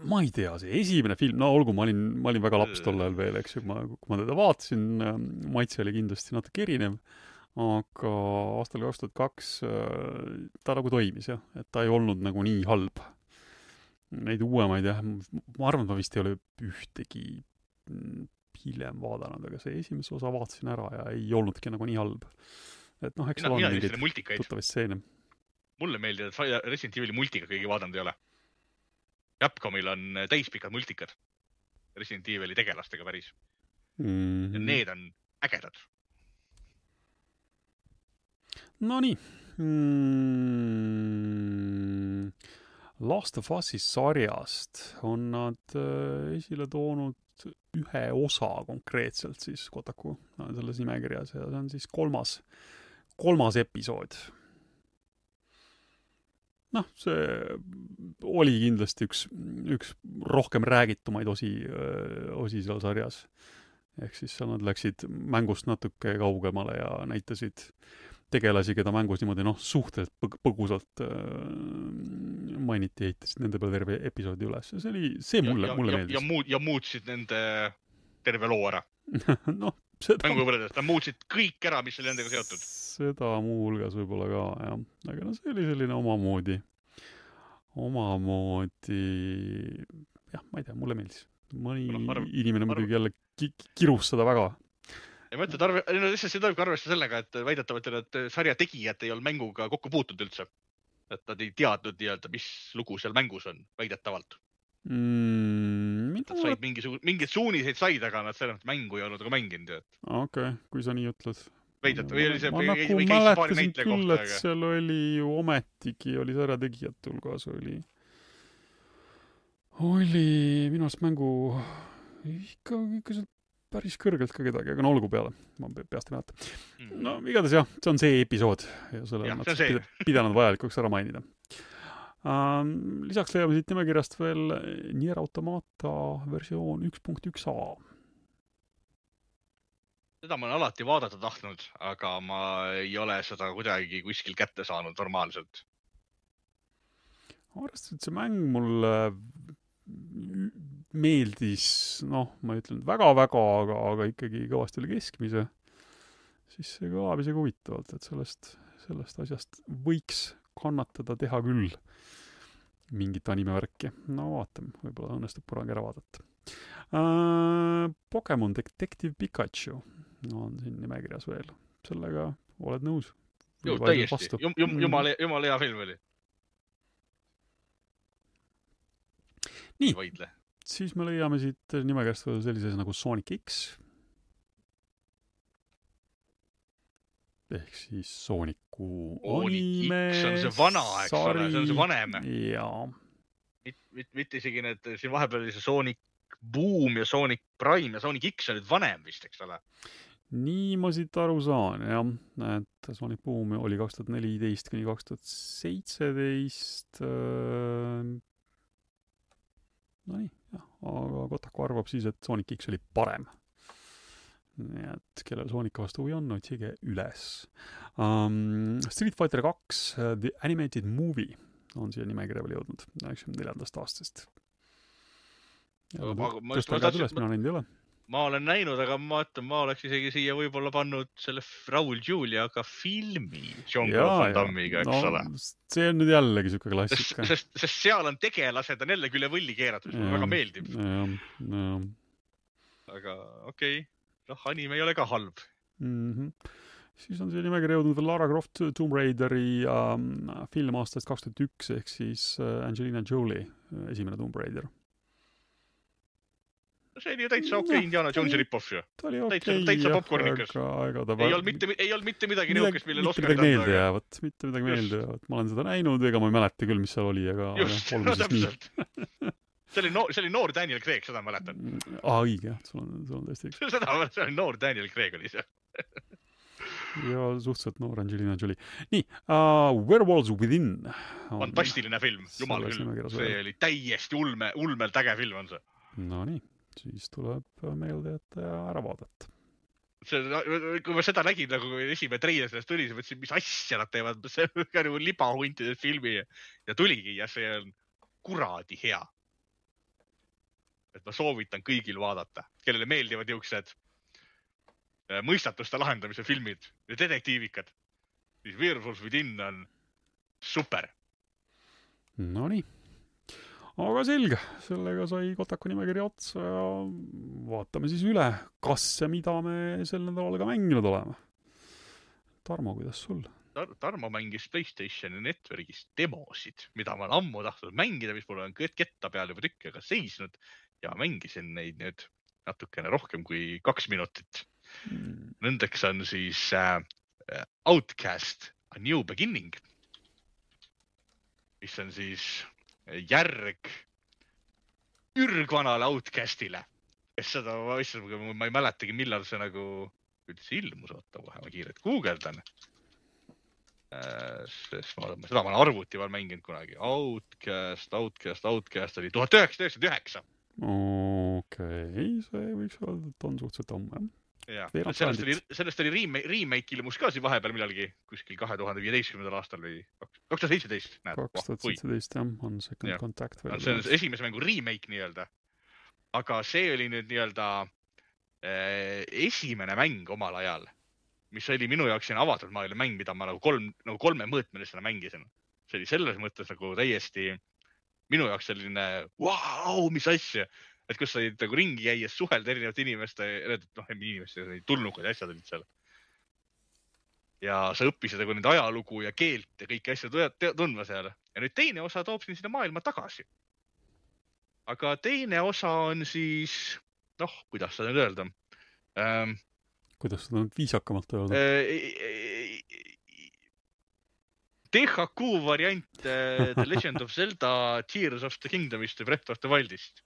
Ma ei tea, see esimene film, olgu, ma olin väga laps tollel veel, eks ju, kui ma teda vaatasin, maitse oli kindlasti natuke erinev, aga aastal 2002 ta nagu toimis, jah, et ta ei olnud nagu nii halb. Neid uuemaid, jah, ma arvan, et ma vist ei ole ühtegi hiljem vaadanud, aga see esimese osa vaatasin ära ja ei olnudki nagu nii halb. Et eks on mingeid tuttavaid stseene. Mulle meeldib, et Resident Evil'i multika kõigi vaadanud ei ole. Capcomil on täispikad multikad Resident Evil'i tegelastega päris. Ja need on ägedad. No nii. Last of Us'i sarjast on nad esile toonud ühe osa konkreetselt siis Kotaku selles nimekirjas ja see on siis kolmas episood. Noh, see oli kindlasti üks rohkem räägitumaid osi seal sarjas. Ehk siis seal nad läksid mängust natuke kaugemale ja näitasid tegelasi, keda mängus niimoodi suhteliselt põgusalt mainiti, ehitasid nende peale terve episoodi üles. See mulle meeldis. Ja muutsid nende terve loo ära. Seda nad muutsid kõik ära, mis oli nendega seotud. Seda muu hulgas võib-olla ka, jah. Aga see oli selline omamoodi, jah, ma ei tea, mulle meeldis. Mõni inimene muidugi jälle kirus seda väga. Ja ma ütlen, see tuleb arvestada sellega, et väidetavalt need sarja tegijad ei olnud mänguga kokku puutunud üldse. Et nad ei teadnud mis lugu seal mängus on, väidetavalt. Nad said mingid suuniseid said, aga nad selles mängu ei olnud aga mänginud. Okei, kui sa nii ütled. Ma mäletasin küll, et seal oli ju ometigi, oli sarja tegijate hulgas, oli minu arust mängu ikka seal päris kõrgelt ka kedagi, aga olgu peale, ma peast ei mäleta. No igatahes jah, see on see episood ja selle on nad pidanud vajalikuks ära mainida. Lisaks leiame siit nimekirjast veel Nier Automata versioon 1.1a. Seda ma olen alati vaadata tahtnud, aga ma ei ole seda kuidagi kuskil kätte saanud normaalselt. Arvestades, et see mäng mulle meeldis, ma ei ütlen väga-väga, aga ikkagi kõvasti oli keskmise, siis see kõlab isegi huvitavalt, et sellest asjast võiks kannatada teha küll mingit animevärki. Vaatame, võib-olla õnnestub kunagi ära vaadata. Pokemon Detective Pikachu on siin nimekirjas veel. Sellega oled nõus? Ju, täiesti. Jumala hea film oli. Nii, siis me leiame siit nimekirjast veel sellises nagu Sonic X. Ehk siis Sooniku anime see on see vana, eks ole, see on see vanem. Jaa. Mitte isegi need, siin vahepeal oli see Sonic Boom ja Sonic Prime ja Sonic X on nüüd vanem vist, eks ole? Nii ma siit aru saan, jah. Et Sonic Boom oli 2014 kuni 2017. Nii, jah. Aga Kotaku arvab siis, et Sonic X oli parem. Nii et kellel Sonica vastu huvi on, otsige üles. Street Fighter 2 The Animated Movie on siia nimekirja veel jõudnud 94. aastast. Ma olen näinud, aga ma oleks isegi siia võib-olla pannud selle Raul Juliaga filmi Jean-Claude Van Dammiga, eks ole. See on nüüd jällegi siuke klassika. Sest seal on tegelased on jällegi üle võlli keeratud, mis väga meeldib. Aga okei. Anime ei ole ka halb. Siis on siia nimekirja jõudnud veel Lara Croft Tomb Raideri film aastast 2001 ehk siis Angelina Jolie esimene Tomb Raider. See oli ju täitsa Indiana Jonesi rip-off ju. Ta oli täitsa popcornikas. Ei olnud mitte midagi niukest, millel Oscar mitte midagi meelde jäävat. Ma olen seda näinud, ega ma ei mäleta küll, mis seal oli, aga olgu siis nii. See oli noor Daniel Craig, seda mäletan. Õige, jah, sul on tõesti. See oli noor Daniel Craig oli see. Ja suhteliselt noor Angelina Jolie. Nii, Werewolves Within. Fantastiline film, jumal küll. See oli täiesti ulmelt äge film on see. No nii, siis tuleb meelde, et ära vaadata. Kui ma seda nägin, nagu esimene treiler sellest tuli, siis mõtlesin, mis asja nad teevad. See on nagu libahuntide filmi ja tuligi ja see on kuradi hea. Et ma soovitan kõigil vaadata, kellele meeldivad niisugused mõistatuste lahendamise filmid ja detektiivikad. Siis Werewolves Within on super. No nii. Aga selge, sellega sai Kotaku nimekirja otsa ja vaatame siis üle, kas ja mida me sel nädalal ka mänginud oleme. Tarmo, kuidas sul? Tarmo mängis PlayStationi Networkis demosid, mida ma olen ammu tahtnud mängida, mis mul on ketta peal juba tükkiga seisnud ja mängisin neid nüüd natukene rohkem kui 2 minutit. Nendeks on siis Outcast A New Beginning, mis on siis järg ürgvanale Outcastile, kes seda, ma ei mäletagi, millal see nagu üldse ilmus, oota kohe, ma kiirelt guugeldan. Sest seda ma olen arvuti peal mänginud kunagi. Outcast oli 1999. Okei, see võiks öelda, et on suhteliselt homme. Ja, sellest oli remake ilmus ka siin vahepeal millalgi kuskil 2015. aastal või 2017. 2017 jah, on Second Contact. See on esimese mängu remake nii-öelda. Aga see oli nüüd nii-öelda esimene mäng omal ajal, mis oli minu jaoks siin avatud maailma mäng, mida ma nagu kolme mõõtmelisena mängisin. See oli selles mõttes nagu täiesti minu jaoks selline vau, mis asja. Et kus sa nagu ringi käies suhelda erinevate inimeste, tulnukaid asjad olid seal. Ja sa õppisid nagu nende ajalugu ja keelt ja kõiki asju tundma seal. Ja nüüd teine osa toob sinna maailma tagasi. Aga teine osa on siis, kuidas seda nüüd öelda? Kuidas seda nüüd viisakamalt öelda? THQ variant The Legend of Zelda Tears of the Kingdomist või Breath of the Wildist.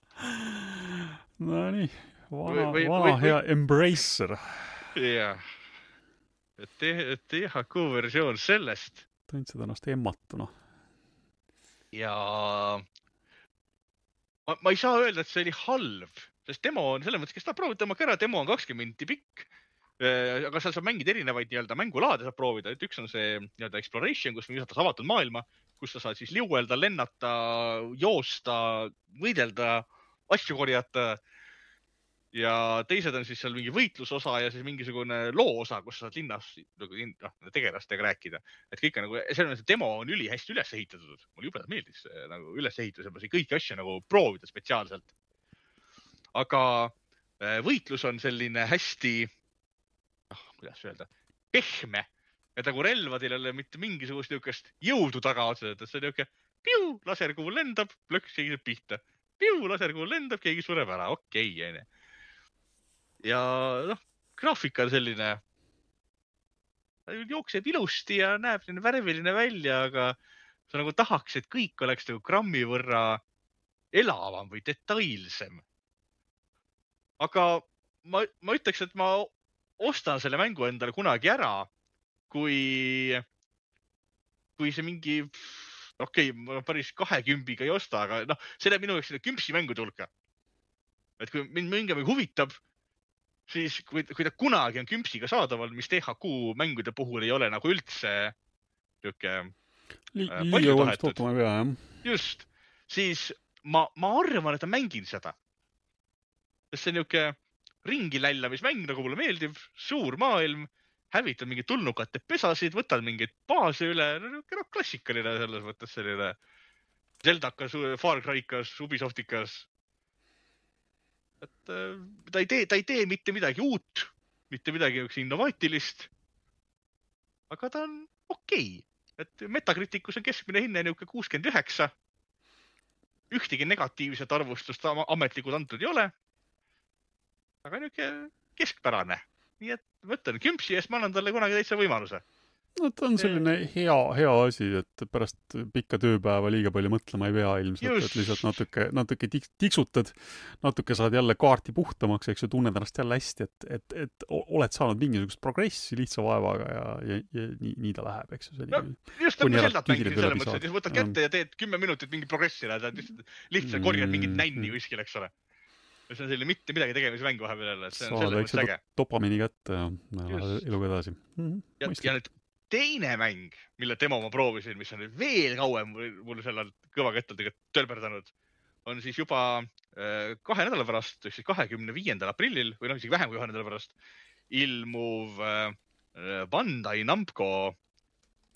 No nii, vana hea Embracer. Jah. THQ versioon sellest. Tundsid ennast emmatuna. Ja ma ei saa öelda, et see oli halb, sest demo on selles mõttes, kes tahab proovida tõmmaka ära, demo on 20 minutit pikk. Aga seal saab mängida erinevaid mängulaade saab proovida. Üks on see exploration, kus visatas avatud maailma, kus sa saad siis liuelda, lennata, joosta, võidelda, asju korjata. Ja teised on siis seal mingi võitlusosa ja siis mingisugune loo osa, kus sa saad linnas tegelastega rääkida. Et kõik on nagu, see demo on üli hästi üles ehitatud. Mulle jubedalt meeldis nagu üles ehitus ja ma siin kõiki asju nagu proovida spetsiaalselt. Aga võitlus on selline hästi kuidas öelda, pehme. Et nagu relvadel ei ole mitte mingisugust niukest jõudu taga otseselt, et see on niuke piu, laserkuul lendab, plöks, keegi saab pihta. Piu, laserkuul lendab, keegi sureb ära. Okei, jäine. Ja graafika on selline, jookseb ilusti ja näeb selline värviline välja, aga sa nagu tahaks, et kõik oleks nagu grammi võrra elavam või detailsem. Aga ma ütleks, et ma ostan selle mängu endale kunagi ära, kui see mingi, ma päris 20 ei osta, aga see läheb minu jaoks selle kümpsi mängude hulka. Et kui mind mingi huvitab, siis kui ta kunagi on kümpsiga saadaval, mis THQ mängude puhul ei ole nagu üldse liiga valmist ootama ei pea, jah. Just, siis ma arvan, et ma mängin seda. See on niuke ringi lällamismäng, nagu mulle meeldib, suur maailm, hävitad mingid tulnukate pesasid, võtad mingeid baase üle, klassikaline selles mõttes selline Zeldakas, Far Cry'kas, Ubisoftikas. Et ta ei tee mitte midagi uut, mitte midagi innovaatilist, aga ta on okei. Et Metacriticus on keskmine hinne niuke 69. Ühtegi negatiivset arvustust ametlikult antud ei ole. Aga niuke keskpärane. Nii et võtan kümpsi eest, ma annan talle kunagi täitsa võimaluse. No ta on selline hea asi, et pärast pikka tööpäeva liiga palju mõtlema ei pea ilmselt, et lihtsalt natuke tiksutad, natuke saad jälle kaarti puhtamaks, eks ju, tunned ennast jälle hästi, et oled saanud mingisugust progressi lihtsa vaevaga ja nii ta läheb, eks ju. Just nagu Zeldat mängisin selles mõttes, et võtad kätte ja teed 10 minutit mingi progressi, lihtsalt korjad mingit nänni kuskil, eks ole. See on selline mitte midagi tegemise mäng vahepeal jälle, see on selles mõttes äge. Dopamiini kätte ja lähed eluga edasi. Ja nüüd teine mäng, mille demo ma proovisin, mis on veel kauem mul sellel kõvakettadega tölberdanud, on siis juba 2 nädala pärast, 25. aprillil, või isegi vähem kui 2 nädala pärast, ilmuv Bandai Namco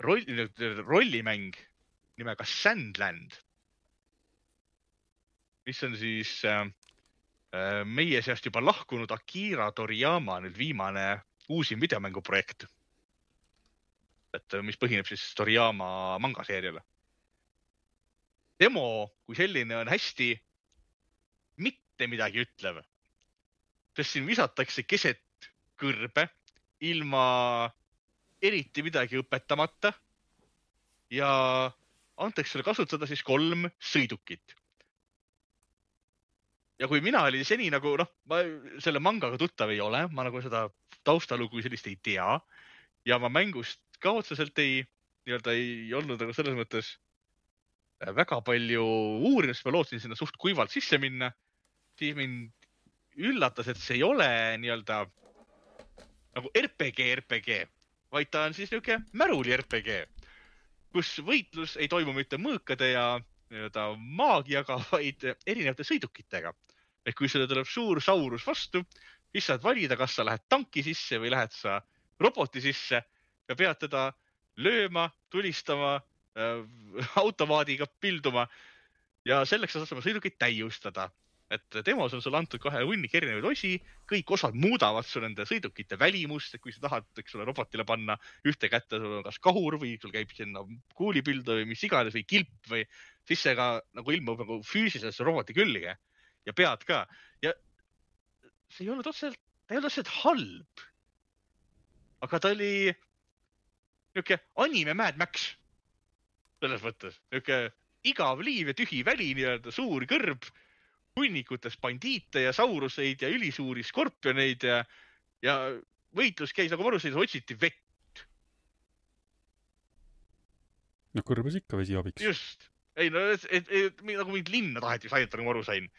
rollimäng nimega Sandland, mis on siis meie seast juba lahkunud Akira Toriyama nüüd viimane uusim videomänguprojekt, et mis põhineb siis Toriyama mangaseeriale. Demo kui selline on hästi mitte midagi ütlev, sest siin visatakse keset kõrbe ilma eriti midagi õpetamata ja antakse sulle kasutada siis 3 sõidukit. ja kui mina olin seni nagu ma selle mangaga tuttav ei ole, ma nagu seda taustalugu sellist ei tea ja ma mängust ka otseselt ei olnud nagu selles mõttes väga palju uurinud, sest ma lootsin sinna suht kuivalt sisse minna, siis mind üllatas, et see ei ole nagu RPG, vaid ta on siis niisugune märuli RPG, kus võitlus ei toimu mitte mõõkade ja maagiaga, vaid erinevate sõidukitega. Ehk kui sulle tuleb suur saurus vastu, siis saad valida, kas sa lähed tanki sisse või lähed sa roboti sisse ja pead teda lööma, tulistama, automaadiga pilduma ja selleks sa saad oma sõidukit täiustada. Et demos on sulle antud kohe hunnik erinevaid osi, kõik osad muudavad su nende sõidukite välimust, et kui sa tahad, eks ole, robotile panna ühte kätte, sul on kas kahur või sul käib sinna kuulipildu või mis iganes või kilp või siis see ka nagu ilmub nagu füüsiliselt roboti külge ja pead ka. Ja see ei olnud otseselt halb. Aga ta oli niuke anime Mad Max. Selles mõttes. Niuke igav liiv ja tühi väli, suur kõrb, hunnikutes bandiite ja sauruseid ja ülisuuri skorpioneid ja võitlus käis nagu varuseid, otsiti vett. No kõrbes ikka vesi abiks. Just. Ei, nagu mind linna taheti saada, nagu aru sain.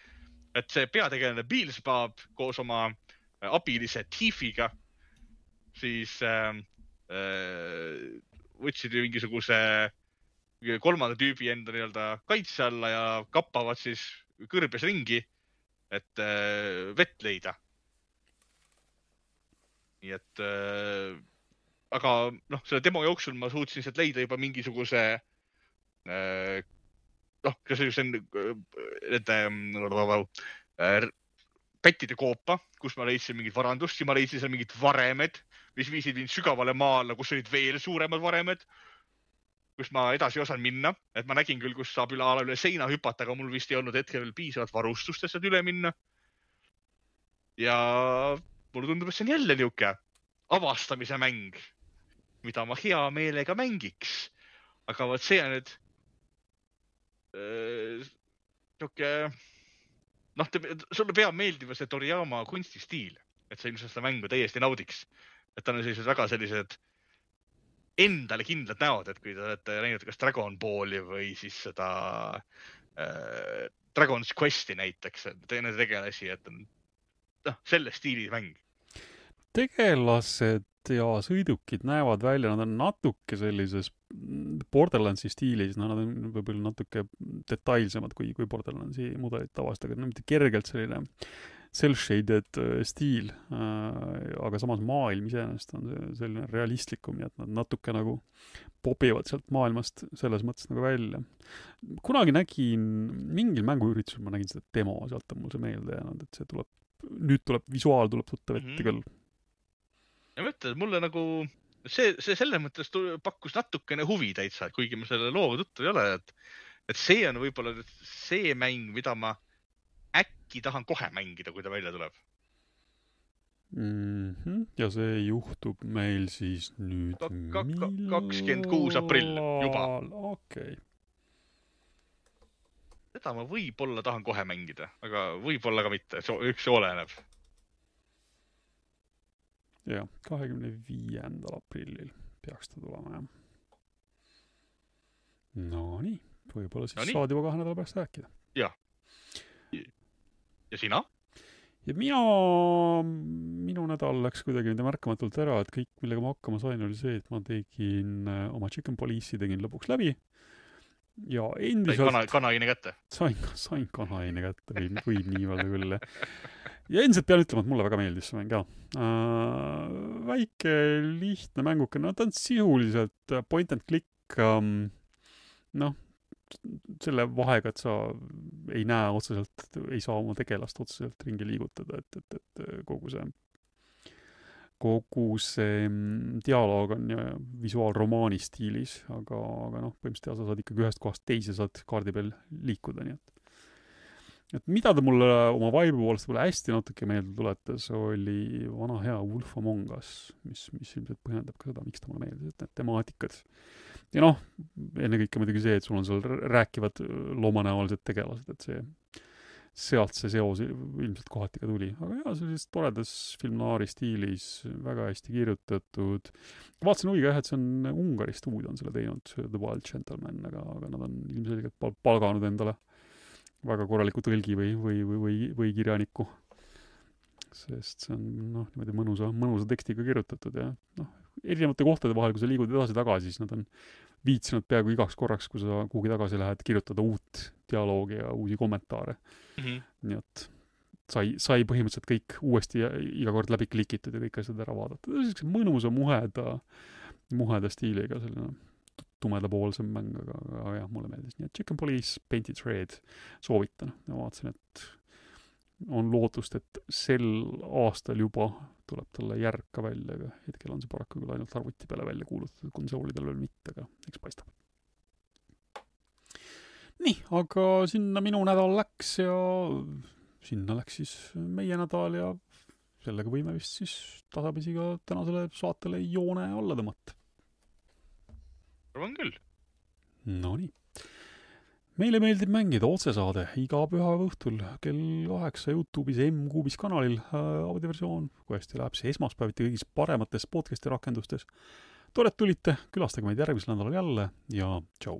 Et see peategelane Beelzebub koos oma abilise Tifiga siis võtsid mingisuguse kolmanda tüübi enda kaitse alla ja kappavad siis kõrbes ringi, et vett leida. Nii et aga selle demo jooksul ma suutsin sealt leida juba mingisuguse kas see on pättide koopa, kus ma leidsin mingit varandust ja ma leidsin seal mingid varemed, mis viisid mind sügavale maale, kus olid veel suuremad varemed, kus ma edasi ei osanud minna. Et ma nägin küll, kus saab üle seina hüpata, aga mul vist ei olnud hetkel veel piisavalt varustust, et sealt üle minna. Ja mulle tundub, et see on jälle niuke avastamise mäng, mida ma hea meelega mängiks. Aga vaat see on nüüd niuke sulle peab meeldima see Toriyama kunstistiil, et sa ilmselt seda mängu täiesti naudiks. Et ta on väga sellised endale kindlad näod, et kui te olete näinud kas Dragon Balli või siis seda Dragon's Questi näiteks, teine tegelasi, et on selle stiili mäng. Tegelased ja sõidukid näevad välja, nad on natuke sellises Borderlandsi stiilis, nad on võib-olla natuke detailsemad kui Borderlandsi mudelid tavaliselt, aga mitte kergelt selline cel-shaded stiil, aga samas maailm iseenesest on selline realistlikum, nii et nad natuke nagu pobivad sealt maailmast selles mõttes nagu välja. Kunagi nägin mingil mänguüritusel, ma nägin seda demo, sealt on mul see meelde jäänud, et see nüüd visuaal tuleb tuttav ette küll. Ja mõtled, mulle nagu see selle mõttes pakkus natukene huvi täitsa, kuigi ma selle looga tuttu ei ole, et see on võib-olla see mäng, mida ma äkki tahan kohe mängida, kui ta välja tuleb. Ja see juhtub meil siis nüüd 26. aprill juba. Okei. Seda ma võib-olla tahan kohe mängida, aga võib-olla ka mitte, üks oleneb. Ja, 25. aprillil peaks ta tulema, jah. No nii, võib-olla siis saad juba 2 nädala pärast rääkida. Ja. Ja sina? Ja minu nädal läks kuidagi märkamatult ära, et kõik, millega ma hakkama sain, oli see, et ma tegin oma Chicken Police'i tegin lõpuks läbi. Ja endiselt... Sai kanaine kätte? Sain kanaine kätte, võib nii öelda küll. Ja endiselt pean ütlema, et mulle väga meeldis see mäng ka. Väike, lihtne mänguke, ta on sisuliselt point and click, selle vahega, et sa ei näe otseselt, ei saa oma tegelast otseselt ringi liigutada, et kogu see dialoog on visuaalromaani stiilis, aga põhimõtteliselt sa saad ikkagi ühest kohast teise saad kaardi peal liikuda, nii et mida ta mulle oma vibe poolest hästi natuke meelde tuletas, oli vana hea Wolf Among Us, mis ilmselt põhjendab ka seda, miks ta mulle meeldis, et need temaatikad. Ja ennekõike muidugi see, et sul on seal rääkivad loomanäolised tegelased, et sealt see seos ilmselt kohati ka tuli. Aga jaa, sellises toredas film-noiri stiilis, väga hästi kirjutatud. Vaatasin huviga et see on Ungari stuudio on selle teinud, The Wild Gentleman, aga nad on ilmselgelt palganud endale väga korraliku tõlgi või kirjaniku. Sest see on niimoodi mõnusa tekstiga kirjutatud ja erinevate kohtade vahel, kui sa liigud edasi-tagasi, siis nad on viitsinud peaaegu igaks korraks, kui sa kuhugi tagasi lähed, kirjutada uut dialoogi ja uusi kommentaare. Nii et sai põhimõtteliselt kõik uuesti iga kord läbi klikitud ja kõik asjad ära vaadata. See on mõnusa muheda stiiliga, selline tumedapoolsem mäng, aga jah, mulle meeldis. Nii et Chicken Police Painted Red soovitan. Ja vaatasin, et on lootust, et sel aastal juba tuleb talle järg ka välja, aga hetkel on see paraku küll ainult arvuti peale välja kuulutatud, konsoolidel veel mitte, aga eks paistab. Nii, aga sinna minu nädal läks ja sinna läks siis meie nädal ja sellega võime vist siis tasapisi ka tänasele saatele joone alla tõmmata. Arvan küll. No nii. Meile meeldib mängida otsesaade iga pühapäeva õhtul kell 8 YouTube'is M-Kuubis kanalil audioversioon, kui hästi läheb see esmaspäeviti kõigis paremates podcasti rakendustes. Tore, et tulite, külastage meid järgmisel nädalal jälle ja tšau!